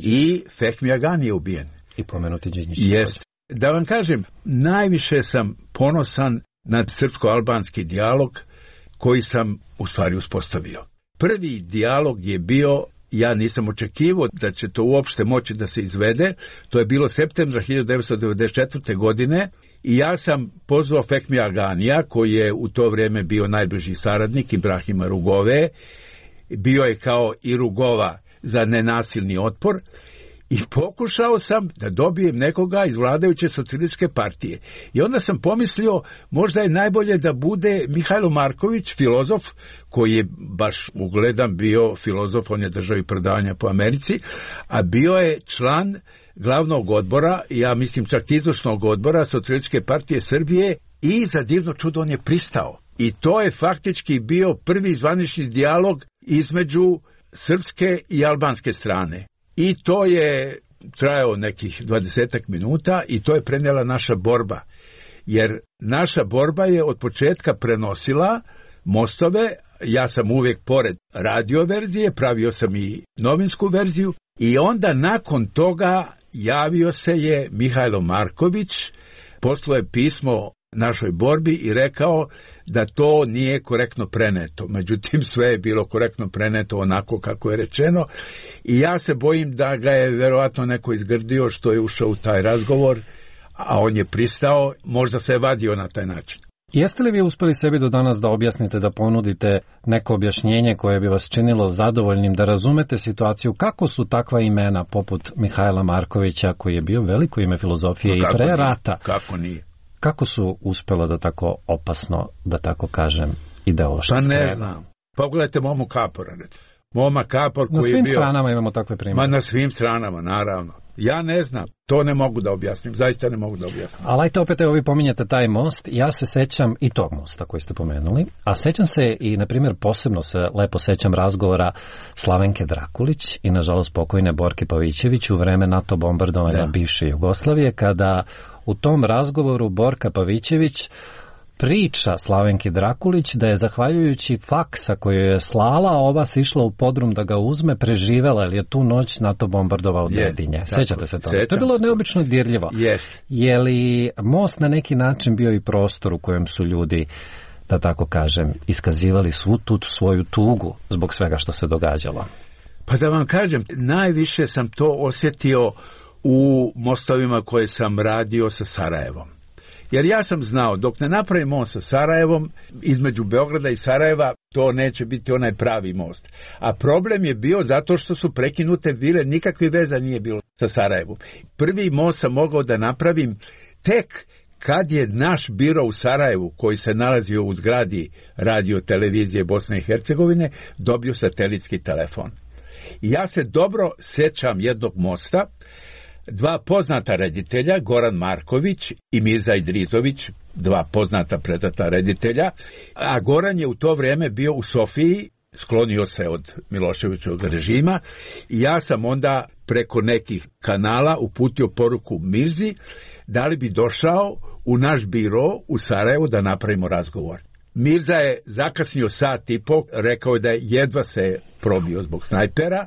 i Fehmi Agani je ubijen. I pomenuti Đinđić. Jest. Da vam kažem, najviše sam ponosan na srpsko-albanski dijalog koji sam u stvari uspostavio. Prvi dijalog je bio, ja nisam očekivao da će to uopšte moći da se izvede, to je bilo septembra 1994. godine i ja sam pozvao Fehmi Aganija, koji je u to vrijeme bio najbliži saradnik Ibrahima Rugove, bio je kao i Rugova za nenasilni otpor i pokušao sam da dobijem nekoga iz vladajuće socijalističke partije. I onda sam pomislio, možda je najbolje da bude Mihajlo Marković, filozof, koji je baš ugledan bio filozof, on je držao i predavanja po Americi, a bio je član glavnog odbora, ja mislim čak izvršnog odbora Socijalističke partije Srbije i za divno čudo on je pristao. I to je faktički bio prvi zvanični dijalog između srpske i albanske strane. I to je trajao nekih 20 minuta i to je prenijela naša borba. Jer naša borba je od početka prenosila mostove, ja sam uvijek pored radio verzije, pravio sam i novinsku verziju i onda nakon toga javio se je Mihajlo Marković, poslao je pismo našoj borbi i rekao da to nije korektno preneto. Međutim, sve je bilo korektno preneto onako kako je rečeno i ja se bojim da ga je verovatno neko izgrdio što je ušao u taj razgovor, a on je pristao, možda se je vadio na taj način. Jeste li vi uspeli sebi do danas da objasnite, da ponudite neko objašnjenje koje bi vas činilo zadovoljnim, da razumete situaciju, kako su takva imena poput Mihajla Markovića, koji je bio veliko ime filozofije i pre rata? Kako nije? Kako su uspela da tako opasno, da tako kažem, ideološki strana? Pa ne znam. Pogledajte Momo Kapora. Moma Kapor koji je bio... Na svim stranama imamo takve primjere. Ma na svim stranama, naravno. Ja ne znam, to ne mogu da objasnim, zaista ne mogu da objasnim. Ali ajte opet, vi pominjete taj most, ja se sećam i tog mosta koji ste pomenuli, a sećam se i, na primjer, posebno se lepo sećam razgovora Slavenke Drakulić i, nažalost, pokojne Borke Pavićević u vreme NATO bombardovanja bivše Jugoslavije, kada u tom razgovoru Borka Pavićević priča Slavenki Drakulić da je zahvaljujući faksa koju je slala, ova se išla u podrum da ga uzme, preživela, jer je tu noć NATO bombardovao Dedinje. Sećate se toga? To je bilo neobično dirljivo. Je li most na neki način bio i prostor u kojem su ljudi, da tako kažem, iskazivali svu tu svoju tugu zbog svega što se događalo? Pa da vam kažem, najviše sam to osjetio u mostovima koje sam radio sa Sarajevom. Jer ja sam znao, dok ne napravim most sa Sarajevom, između Beograda i Sarajeva, to neće biti onaj pravi most. A problem je bio zato što su prekinute vile, nikakve veza nije bilo sa Sarajevom. Prvi most sam mogao da napravim tek kad je naš biro u Sarajevu, koji se nalazio u zgradi radio televizije Bosne i Hercegovine, dobio satelitski telefon. I ja se dobro sećam jednog mosta, dva poznata reditelja, Goran Marković i Mirza Idrizović, dva poznata predata reditelja, a Goran je u to vrijeme bio u Sofiji, sklonio se od Miloševićevog režima i ja sam onda preko nekih kanala uputio poruku Mirzi da li bi došao u naš biro u Sarajevu da napravimo razgovor. Mirza je zakasnio sat i po, rekao je da je jedva se probio zbog snajpera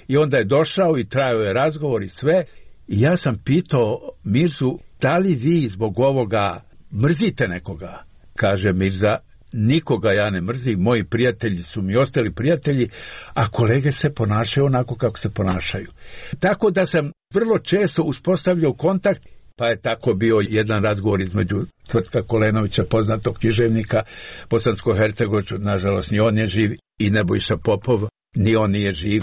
i onda je došao i trajao je razgovor i sve. I ja sam pitao Mirzu, da li vi zbog ovoga mrzite nekoga? Kaže Mirza, nikoga ja ne mrzim, moji prijatelji su mi ostali prijatelji, a kolege se ponašaju onako kako se ponašaju. Tako da sam vrlo često uspostavljao kontakt, pa je tako bio jedan razgovor između Tvrtka Kolenovića, poznatog književnika bosansko-hercegovačkog, nažalost ni on je živ, i Nebojša Popov, ni on nije živ.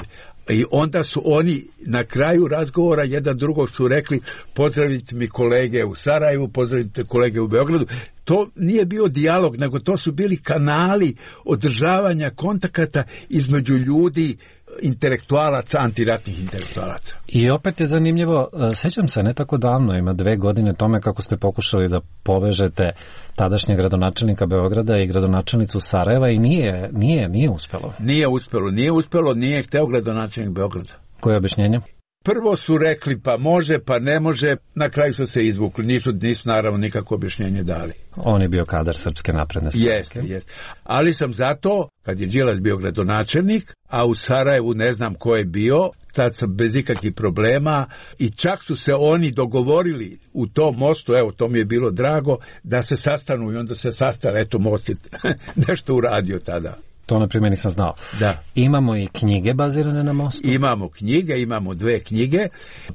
I onda su oni na kraju razgovora jedan drugog su rekli, pozdravite mi kolege u Sarajevu, pozdravite kolege u Beogradu. To nije bio dijalog, nego to su bili kanali održavanja kontakata između ljudi, intelektualaca, antiratnih intelektualaca. I opet je zanimljivo, sećam se ne tako davno, ima 2 godine tome kako ste pokušali da povežete tadašnjeg gradonačelnika Beograda i gradonačelnicu Sarajeva i nije uspelo. Nije uspelo, nije hteo gradonačelnik Beograda. Koje je objašnjenje? Prvo su rekli pa može, pa ne može, na kraju su se izvukli, nisu naravno nikako objašnjenje dali. On je bio kadar Srpske napredne stranke. Jeste. Ali sam zato, kad je Đilas bio gradonačelnik, a u Sarajevu ne znam ko je bio, tad sam bez ikakvih problema i čak su se oni dogovorili u tom mostu, evo to mi je bilo drago, da se sastanu i onda se sastali, eto most je nešto uradio tada. To na primjer nisam znao. Da. Imamo i knjige bazirane na mostu? Imamo 2 knjige.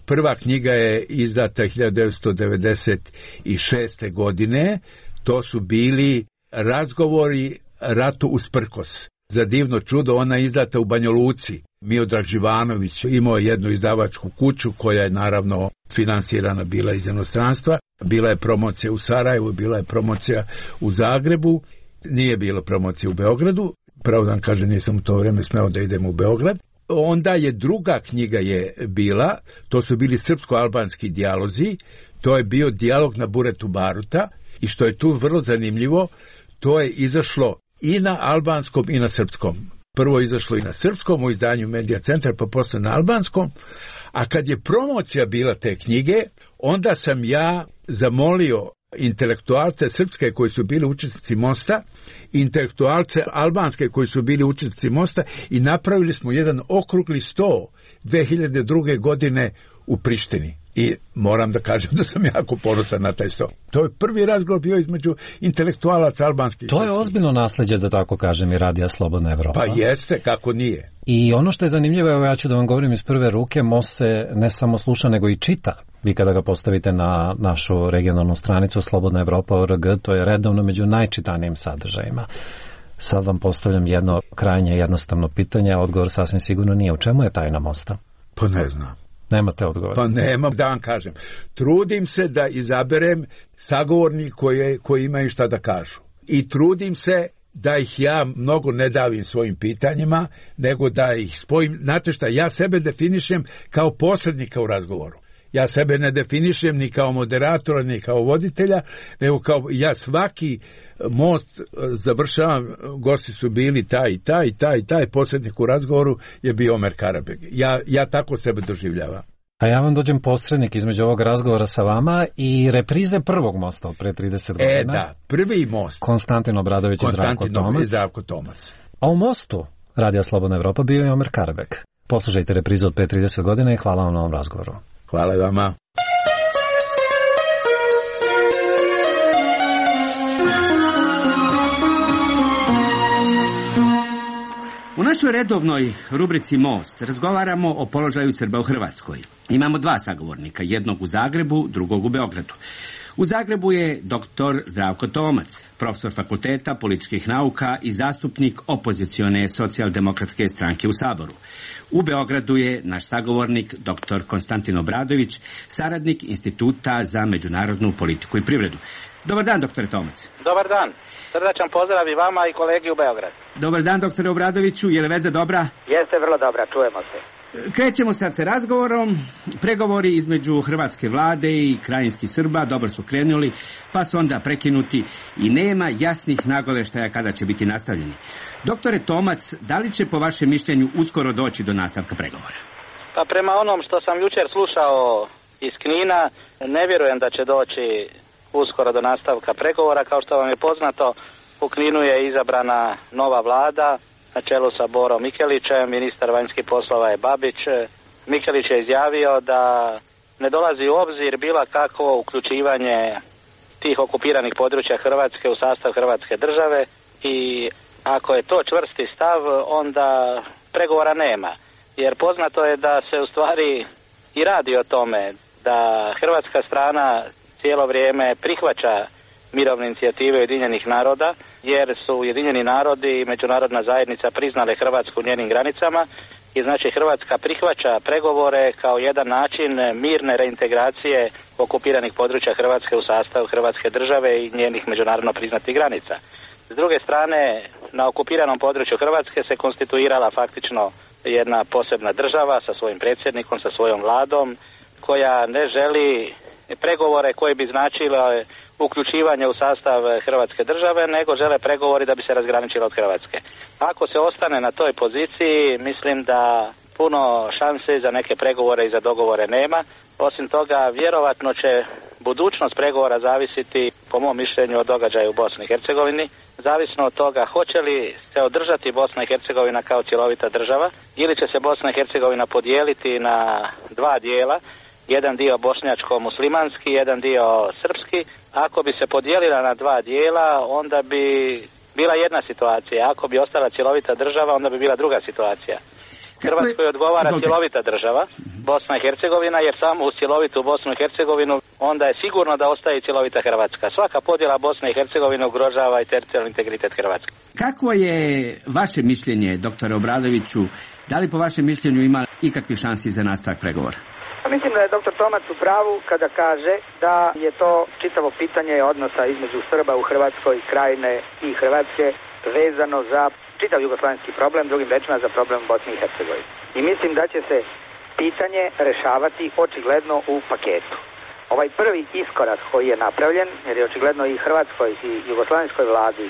Prva knjiga je izdata 1996. godine. To su bili razgovori ratu usprkos. Za divno čudo, ona je izdata u Banja Luci. Miodrag Živanović imao jednu izdavačku kuću koja je naravno finansirana bila iz inostranstva. Bila je promocija u Sarajevu, bila je promocija u Zagrebu. Nije bilo promocije u Beogradu. Pravo da vam kažem, nisam u to vrijeme smeo da idem u Beograd. Onda je druga knjiga je bila, to su bili srpsko-albanski dijalozi, to je bio dijalog na Buretu Baruta i što je tu vrlo zanimljivo, to je izašlo i na albanskom i na srpskom. Prvo je izašlo i na srpskom u izdanju Medija centra, pa posle na albanskom, a kad je promocija bila te knjige, onda sam ja zamolio intelektualce srpske koji su bili učesnici mosta, intelektualce albanske koji su bili učesnici mosta i napravili smo jedan okrugli sto 2002. godine u Prištini. I moram da kažem da sam jako ponosan na taj sto. To je prvi razgovor bio između intelektualaca albanskih. To je ozbiljno nasleđe, da tako kažem, i Radija Slobodna Evropa. Pa jeste, kako nije. I ono što je zanimljivo, evo ja ću da vam govorim iz prve ruke, most se ne samo sluša, nego i čita. Vi kada ga postavite na našu regionalnu stranicu Slobodna Evropa.org, to je redovno među najčitanijim sadržajima. Sad vam postavljam jedno krajnje jednostavno pitanje, a odgovor sasvim sigurno nije. U čemu je tajna mosta? Pa ne znam. Nemate odgovor? Pa nemam, da vam kažem. Trudim se da izaberem sagovornik koji imaju šta da kažu. I trudim se da ih ja mnogo ne davim svojim pitanjima, nego da ih spojim. Znate šta, ja sebe definišem kao posrednika u razgovoru. Ja sebe ne definišem ni kao moderatora, ni kao voditelja, nego kao ja svaki most završavam, gosti su bili taj posrednik u razgovoru je bio Omer Karabeg. Ja tako sebe doživljavam. A ja vam dođem posrednik između ovog razgovora sa vama i reprize prvog mosta od pre 30 godina. Da, prvi most. Konstantin Obradović i Zdravko Tomac. A u mostu Radija Slobodna Evropa bio je Omer Karabeg. Poslušajte reprizu od pre 30 godina i hvala vam na ovom razgovoru. Hvala vama. U našoj redovnoj rubrici Most razgovaramo o položaju Srba u Hrvatskoj. Imamo 2 sagovornika, jednog u Zagrebu, drugog u Beogradu. U Zagrebu je dr. Zdravko Tomac, profesor fakulteta političkih nauka i zastupnik opozicione socijaldemokratske stranke u Saboru. U Beogradu je naš sagovornik dr. Konstantin Obradović, saradnik Instituta za međunarodnu politiku i privredu. Dobar dan, doktore Tomac. Dobar dan. Srdačan pozdrav i vama i kolegi u Beogradu. Dobar dan, doktore Obradoviću. Je li veza dobra? Jeste vrlo dobra, čujemo se. Krećemo sad sa razgovorom. Pregovori između hrvatske vlade i krajinskih Srba dobro su krenuli, pa su onda prekinuti i nema jasnih nagoveštaja kada će biti nastavljeni. Doktore Tomac, da li će po vašem mišljenju uskoro doći do nastavka pregovora? Pa prema onom što sam jučer slušao iz Knina, ne vjerujem da će doći uskoro do nastavka pregovora. Kao što vam je poznato, U Kninu je izabrana nova vlada na čelu sa Borom Mikelićem, ministar vanjskih poslova je Babić. Mikelić je izjavio da ne dolazi u obzir bilo kakvo uključivanje tih okupiranih područja Hrvatske u sastav Hrvatske države i ako je to čvrsti stav, onda pregovora nema. Jer poznato je da se u stvari i radi o tome da hrvatska strana cijelo vrijeme prihvaća mirovne inicijative Ujedinjenih naroda, jer su Ujedinjeni narodi i međunarodna zajednica priznale Hrvatsku u njenim granicama i znači Hrvatska prihvaća pregovore kao jedan način mirne reintegracije okupiranih područja Hrvatske u sastav Hrvatske države i njenih međunarodno priznatih granica. S druge strane, na okupiranom području Hrvatske se konstituirala faktično jedna posebna država sa svojim predsjednikom, sa svojom vladom, koja ne želi pregovore koji bi značile uključivanje u sastav Hrvatske države, nego žele pregovori da bi se razgraničila od Hrvatske. Ako se ostane na toj poziciji, mislim da puno šanse za neke pregovore i za dogovore nema. Osim toga, vjerovatno će budućnost pregovora zavisiti, po mom mišljenju, od događaja u Bosni i Hercegovini. Zavisno od toga hoće li se održati Bosna i Hercegovina kao cjelovita država ili će se Bosna i Hercegovina podijeliti na dva dijela. Jedan dio bošnjačko-muslimanski, jedan dio srpski. Ako bi se podijelila na dva dijela, onda bi bila jedna situacija. Ako bi ostala cjelovita država, onda bi bila druga situacija. Hrvatskoj odgovara cjelovita država, Bosna i Hercegovina, jer samo uz cjelovitu Bosnu i Hercegovinu onda je sigurno da ostaje cjelovita Hrvatska. Svaka podjela Bosne i Hercegovine ugrožava i teritorijalni integritet Hrvatske. Kakvo je vaše mišljenje, doktore Obradoviću? Da li po vašem mišljenju ima ikakvih šansi za nastavak pregovora? Mislim da je dr. Tomac u pravu kada kaže da je to čitavo pitanje odnosa između Srba u Hrvatskoj, Krajine i Hrvatske vezano za čitav jugoslavenski problem, drugim rečima za problem Bosne i Hercegovine. I mislim da će se pitanje rešavati očigledno u paketu. Ovaj prvi iskorak koji je napravljen, jer je očigledno i Hrvatskoj i jugoslavenskoj vladi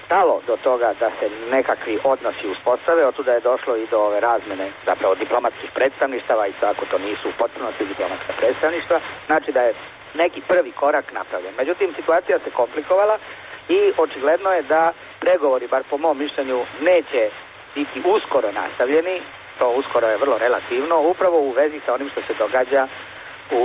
stalo do toga da se nekakvi odnosi uspostave, otuda je došlo i do ove razmene zapravo diplomatskih predstavništava i ako to nisu u potpunosti diplomatska predstavništva, znači da je neki prvi korak napravljen. Međutim, situacija se komplikovala i očigledno je da pregovori, bar po mom mišljenju, neće biti uskoro nastavljeni, to uskoro je vrlo relativno, upravo u vezi sa onim što se događa u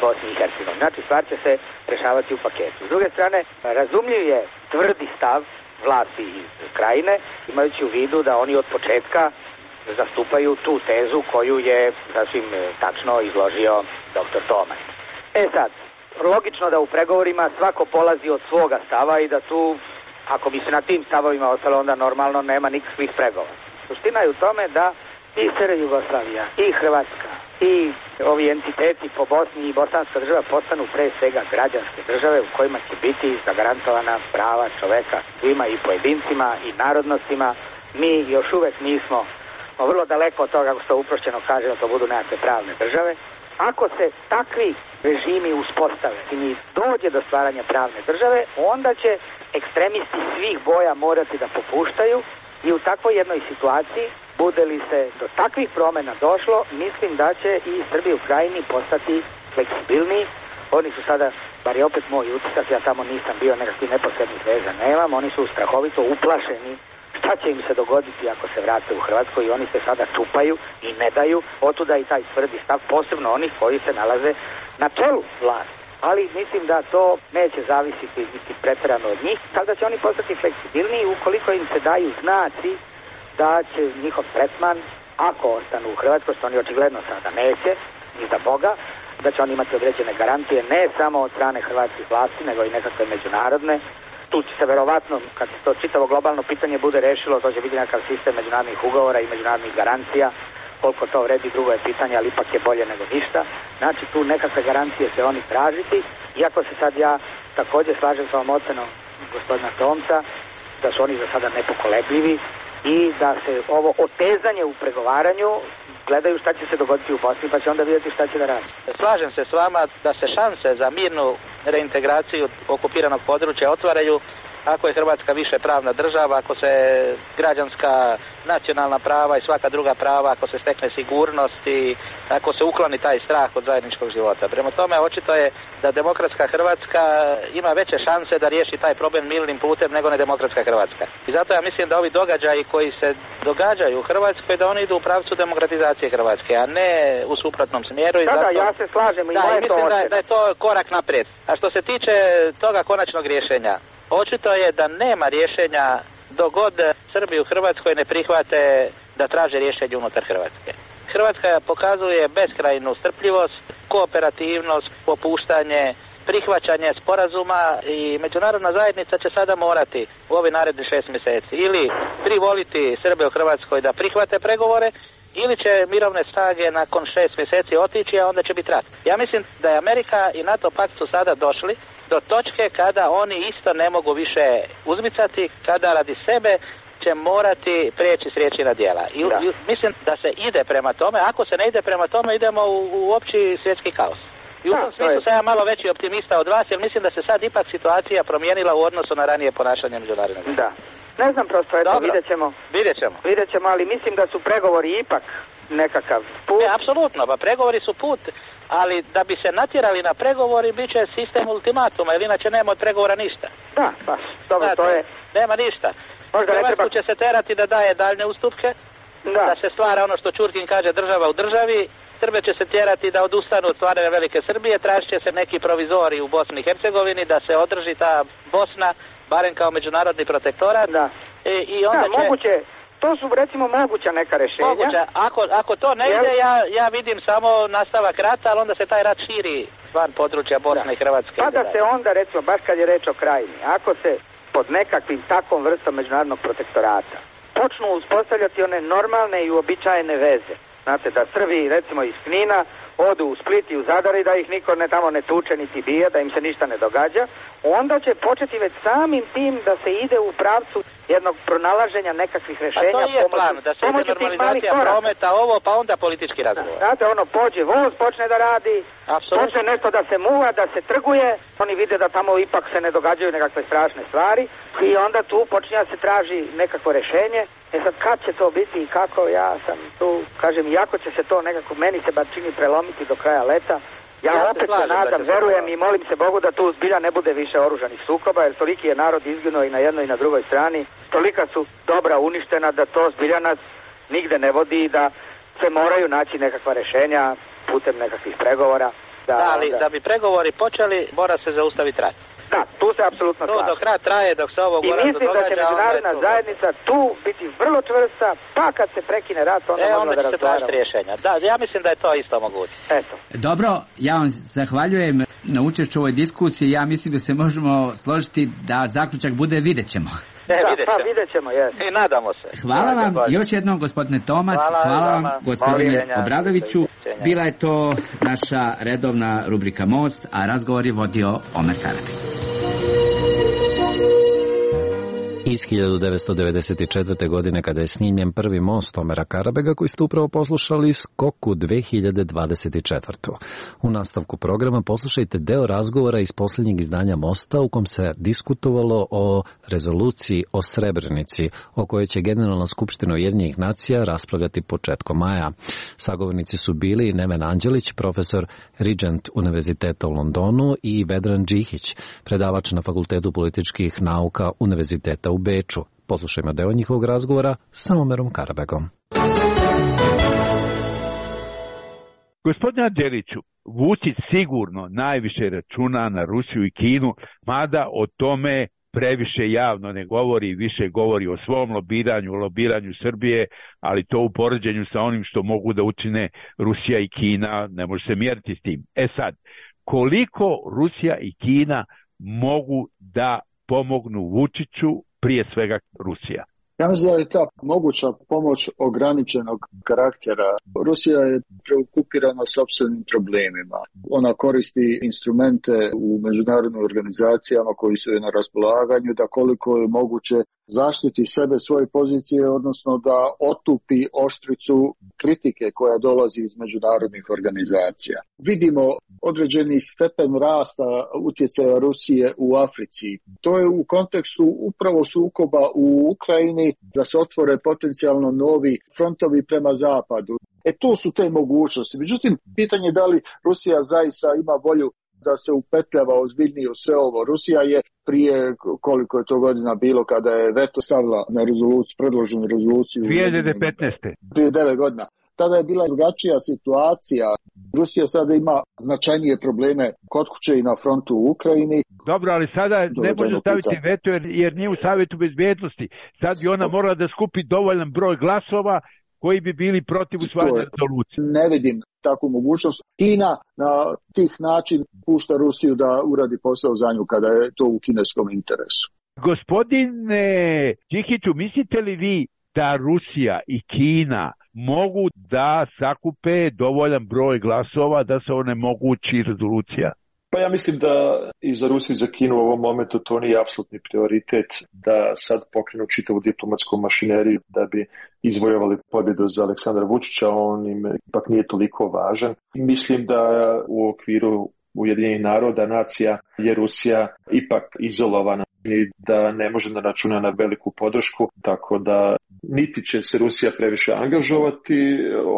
Bosni i Hercegovini. Znači, stvar će se rešavati u paketu. S druge strane, razumljiv je tvrdi stav vlasti iz Krajine, imajući u vidu da oni od početka zastupaju tu tezu koju je sasvim tačno izložio dr. Tomac. Sad, logično da u pregovorima svako polazi od svoga stava i da tu, ako bi se na tim stavovima ostalo, onda normalno nema nikakvih pregovora. Suština je u tome da i SR Jugoslavija, i Hrvatska, i ovi entiteti po Bosni i bosanska država postanu pre svega građanske države u kojima će biti zagarantovana prava čoveka svima i pojedincima i narodnostima. Mi još uvek nismo vrlo daleko od toga, kako se uprošćeno kaže, da to budu nekakve pravne države. Ako se takvi režimi uspostave i dođe do stvaranja pravne države, onda će ekstremisti svih boja morati da popuštaju i u takvoj jednoj situaciji, bude li se do takvih promjena došlo, mislim da će i Srbi u Krajini postati fleksibilniji. Oni su sada, bar je opet moj utisak, ja tamo nisam bio, nekakvih neposrednih veza nemam, oni su strahovito uplašeni šta će im se dogoditi ako se vrate u Hrvatsku i oni se sada čupaju i ne daju, otuda i taj tvrdi stav, posebno onih koji se nalaze na čelu vlasti. Ali mislim da to neće zavisiti niti pretjerano od njih, tako da će oni postati fleksibilniji ukoliko im se daju znaci da će njihov tretman, ako ostanu u Hrvatskoj, što oni očigledno sada neće, ni za Boga, da će oni imati određene garancije ne samo od strane hrvatskih vlasti, nego i nekakve međunarodne. Tu će se verovatno, kad se to čitavo globalno pitanje bude rešilo, to će biti nekakav sistem međunarodnih ugovora i međunarodnih garancija. Koliko to vredi, drugo je pitanje, ali ipak je bolje nego ništa. Znači, tu nekakve garancije će oni tražiti, iako se sad ja također slažem sa ovom ocenom gospodina Tomca, da su oni za sada nepokolebljivi i da se ovo otezanje u pregovaranju gledaju šta će se dogoditi u Bosni, pa će onda vidjeti šta će da radi. Slažem se s vama da se šanse za mirnu reintegraciju okupiranog područja otvaraju ako je Hrvatska više pravna država, ako se građanska nacionalna prava i svaka druga prava, ako se stekne sigurnost i ako se ukloni taj strah od zajedničkog života. Prema tome, očito je da demokratska Hrvatska ima veće šanse da riješi taj problem mirnim putem nego nedemokratska Hrvatska. I zato ja mislim da ovi događaji koji se događaju u Hrvatskoj, da oni idu u pravcu demokratizacije Hrvatske, a ne u suprotnom smjeru. I zato, ja se slažem i mislim da je to korak naprijed. A što se tiče toga konačnog rješenja, očito je da nema rješenja dok god Srbi u Hrvatskoj ne prihvate da traže rješenje unutar Hrvatske. Hrvatska pokazuje beskrajnu strpljivost, kooperativnost, popuštanje, prihvaćanje sporazuma i međunarodna zajednica će sada morati u ovih narednih 6 mjeseci ili privoliti Srbe u Hrvatskoj da prihvate pregovore ili će mirovne snage nakon 6 mjeseci otići, a onda će biti rat. Ja mislim da je Amerika i NATO pakt su sada došli do točke kada oni isto ne mogu više uzmicati, kada radi sebe će morati prijeći s riječi na djela. I mislim da se ide prema tome. Ako se ne ide prema tome, idemo u opći svjetski kaos. I u tom smislu sam ja malo veći optimista od vas, jer mislim da se sad ipak situacija promijenila u odnosu na ranije ponašanje međunarodnog. Da. Ne znam prosto, vidjet ćemo, ali mislim da su pregovori ipak nekakav put. Apsolutno, pa pregovori su put, ali da bi se natjerali na pregovori bit će sistem ultimatuma, jer inače nema od pregovora ništa. Da, baš, dobro, to je... Nema ništa. Hrvatsku će se terati da daje daljne ustupke, da se stvara ono što Čurkin kaže država u državi, Srbe će se tjerati da odustanu od stvaranja Velike Srbije, tražit će se neki provizori u Bosni i Hercegovini, da se održi ta Bosna, barem kao međunarodni protektorat. Da. I onda moguće, to su recimo moguća neka rješenja. Moguće, ako to ne ide, ja vidim samo nastavak rata, ali onda se taj rat širi van područja Bosne i Hrvatske. Pa da se onda, recimo, baš kad je reč o Krajini, ako se pod nekakvim takvom vrstom međunarodnog protektorata počnu uspostavljati one normalne i uobičajene veze. Znate, da Srbi, recimo iz Knina, odu u Split i u Zadar i da ih niko tamo ne tuče niti bije, da im se ništa ne događa, onda će početi već samim tim da se ide u pravcu jednog pronalaženja nekakvih rješenja. A to je plan, da se ide normalizacija prometa, ovo, pa onda politički razgovor. Znate, pođe voz, počne da radi, počne nešto da se muva, da se trguje, oni vide da tamo ipak se ne događaju nekakve strašne stvari i onda tu počinje da se traži nekakvo rješenje. Sad kad će to biti i kako, ja sam tu, kažem, iako će se to nekako, meni se bar čini prelomiti do kraja leta, ja opet se nadam, verujem i molim se Bogu da tu zbilja ne bude više oružanih sukoba, jer toliki je narod izginuo i na jednoj i na drugoj strani, tolika su dobra uništena da to zbilja nas nigde ne vodi i da se moraju naći nekakva rješenja putem nekakvih pregovora. Ali da bi pregovori počeli, mora se zaustaviti rat. Da, tu se apsolutno slažem. To dok rat traje, dok se ovo događa... I mislim da će međunarodna zajednica tu biti vrlo čvrsta, pa kad se prekine rat, onda možemo da razgovaramo. Onda će se tražiti rješenja. Da, ja mislim da je to isto moguće. Eto. Dobro, ja vam zahvaljujem na učešću u ovoj diskusiji. Ja mislim da se možemo složiti da zaključak bude vidjet ćemo. Vidjet ćemo, jes. I nadamo se. Hvala vam još jednom, gospodine Tomac, hvala vam, gospodine Obradoviću. Bila je to naša redovna rubrika Most, a razgovor je vodio Omer Karabek. Iz 1994. godine, kada je snimljen prvi most Omera Karabega, koji ste upravo poslušali, Skoku 2024. U nastavku programa poslušajte deo razgovora iz posljednjeg izdanja Mosta, u kom se diskutovalo o rezoluciji o Srebrenici, o kojoj će Generalna skupština Ujedinjenih nacija raspravljati početkom maja. Sagovornici su bili Neven Anđelić, profesor Regent Univerziteta u Londonu, i Vedran Džihić, predavač na Fakultetu političkih nauka Univerziteta u Beču. Poslušajmo deo njihovog razgovora sa Omerom Karabegom. Gospodine Anđeliću, Vučić sigurno najviše računa na Rusiju i Kinu, mada o tome previše javno ne govori, više govori o svom lobiranju Srbije, ali to u poređenju sa onim što mogu da učine Rusija i Kina ne može se mjeriti s tim. Sad, koliko Rusija i Kina mogu da pomognu Vučiću, prije svega Rusija? Ja mislim da je ta moguća pomoć ograničenog karaktera. Rusija je preokupirana sopstvenim problemima. Ona koristi instrumente u međunarodnim organizacijama koji su joj na raspolaganju da koliko je moguće zaštiti sebe, svoje pozicije, odnosno da otupi oštricu kritike koja dolazi iz međunarodnih organizacija. Vidimo određeni stepen rasta utjecaja Rusije u Africi. To je u kontekstu upravo sukoba u Ukrajini, da se otvore potencijalno novi frontovi prema zapadu. To su te mogućnosti. Međutim, pitanje je da li Rusija zaista ima volju da se upetljava ozbiljnije u sve ovo. Rusija je prije, koliko je to godina bilo, kada je veto stavila na rezoluciju, predloženu rezoluciju 2015. Prije 9 godina. Tada je bila drugačija situacija. Rusija sada ima značajnije probleme kod kuće i na frontu u Ukrajini. Dobro, ali sada ne može staviti veto jer nije u Savjetu bezbednosti. Sad bi ona morala da skupi dovoljan broj glasova koji bi bili protiv usvajanja rezolucije. Ne vidim takvu mogućnost. Kina na tih način pušta Rusiju da uradi posao za nju kada je to u kineskom interesu. Gospodine Đikiću, mislite li vi da Rusija i Kina mogu da sakupe dovoljan broj glasova da se onemogući rezolucija? Pa ja mislim da i za Rusiju i za Kinu u ovom momentu to nije apsolutni prioritet da sad pokrenu čitavu diplomatsku mašineriju da bi izvojevali pobjedu za Aleksandra Vučića, on im ipak nije toliko važan. Mislim da u okviru Ujedinjenih naroda, nacija, je Rusija ipak izolovana i da ne može da računa na veliku podršku, tako da niti će se Rusija previše angažovati,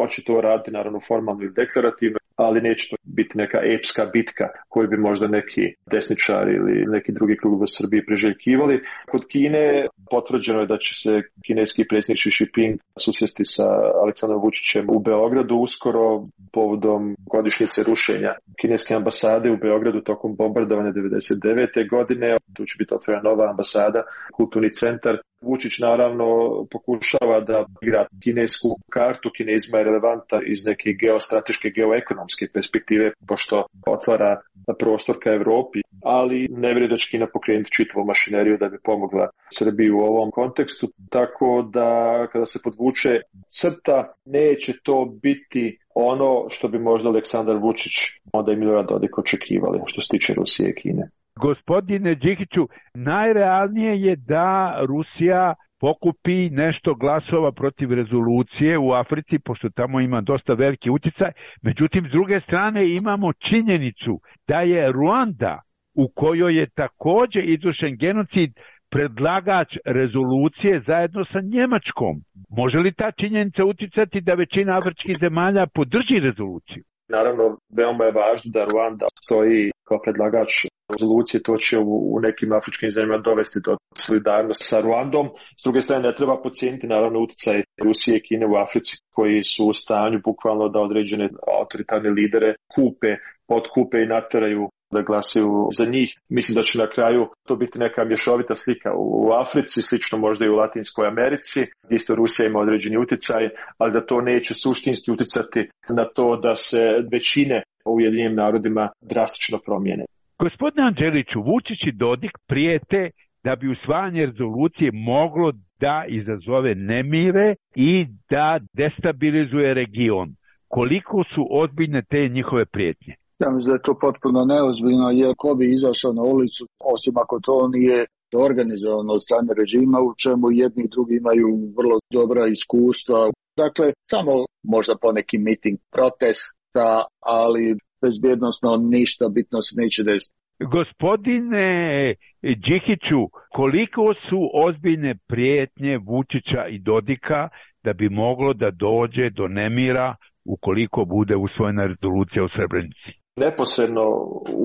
očito radi naravno formalno i deklarativno, ali neće to biti neka epska bitka koju bi možda neki desničari ili neki drugi krug u Srbiji priželjkivali. Kod Kine potvrđeno je da će se kineski predsjednik Xi Jinping susresti sa Aleksandrom Vučićem u Beogradu uskoro povodom godišnjice rušenja kineske ambasade u Beogradu tokom bombardovanja 1999. godine. Tu će biti otvorena nova ambasada, kulturni centar. Vučić naravno pokušava da igra kinesku kartu. Kinezima je relevanta iz neke geostrateške, geoekonomske perspektive, pošto otvara prostor ka Evropi, ali ne vjerujem da će Kina pokrenuti čitavu mašineriju da bi pomogla Srbiji u ovom kontekstu. Tako da kada se podvuče crta, neće to biti ono što bi možda Aleksandar Vučić, onda i Milorad Dodik očekivali što se tiče Rusije i Kine. Gospodine Đikiću, najrealnije je da Rusija pokupi nešto glasova protiv rezolucije u Africi, pošto tamo ima dosta veliki utjecaj. Međutim, s druge strane imamo činjenicu da je Ruanda, u kojoj je također izvršen genocid, predlagač rezolucije zajedno sa Njemačkom. Može li ta činjenica utjecati da većina afričkih zemalja podrži rezoluciju? Naravno, veoma je važno da Ruanda stoji kao predlagač rezolucije, to će u nekim afričkim zemljama dovesti do solidarnosti sa Ruandom. S druge strane, ne treba podcijeniti naravno utjecaj Rusije i Kine u Africi, koji su u stanju bukvalno da određene autoritarne lidere potkupe i nateraju da glasaju za njih. Mislim da će na kraju to biti neka mješovita slika u Africi, slično možda i u Latinskoj Americi, gdje isto Rusija ima određeni utjecaj, ali da to neće suštinski utjecati na to da se većine u Ujedinjenim narodima drastično promijene. Gospodine Anđeliću, Vučić i Dodik prijete da bi usvajanje rezolucije moglo da izazove nemire i da destabilizuje region. Koliko su ozbiljne te njihove prijetnje? Ja mislim da je to potpuno neozbiljno, jer ko bi izašao na ulicu, osim ako to nije organizovano od strane režima, u čemu jedni i drugi imaju vrlo dobra iskustva. Dakle, samo možda poneki miting protesta, ali bezbjednosno ništa bitno se neće desiti. Gospodine Đikiću, koliko su ozbiljne prijetnje Vučića i Dodika da bi moglo da dođe do nemira ukoliko bude usvojena rezolucija u Srebrenici? Neposredno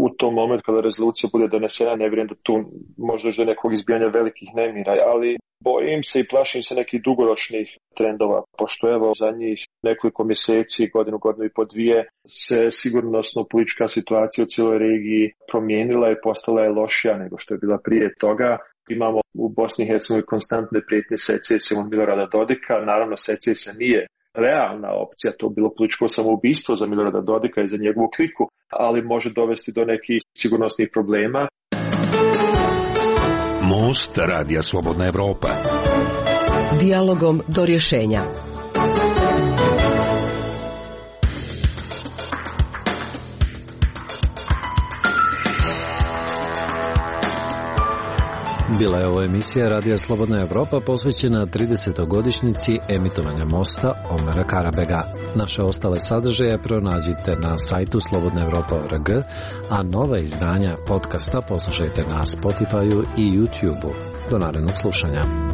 u tom momentu kada rezolucija bude donesena, ne vjerujem da tu možda do nekog izbijanja velikih nemira, ali bojim se i plašim se nekih dugoročnih trendova, pošto evo za njih nekoliko mjeseci, godinu i po dvije, se sigurnosno politička situacija u cijeloj regiji promijenila i postala je lošija nego što je bila prije toga. Imamo u Bosni i Hercegovini konstantne prijetnje secesijom Milorada Dodika, naravno secesija nije realna opcija, to bilo političko samoubistvo za Milorada Dodika i za njegovu kliku, ali može dovesti do nekih sigurnosnih problema. Most Radija Slobodna Evropa. Dijalogom do rješenja. Bila je ovo emisija Radija Slobodna Evropa posvećena 30. emitovanja mosta Omera Karabega. Naše ostale sadržaje pronađite na sajtu slobodnaevropa.org, a nova izdanja podcasta poslušajte na Spotify-u i YouTube-u. Do narednog slušanja.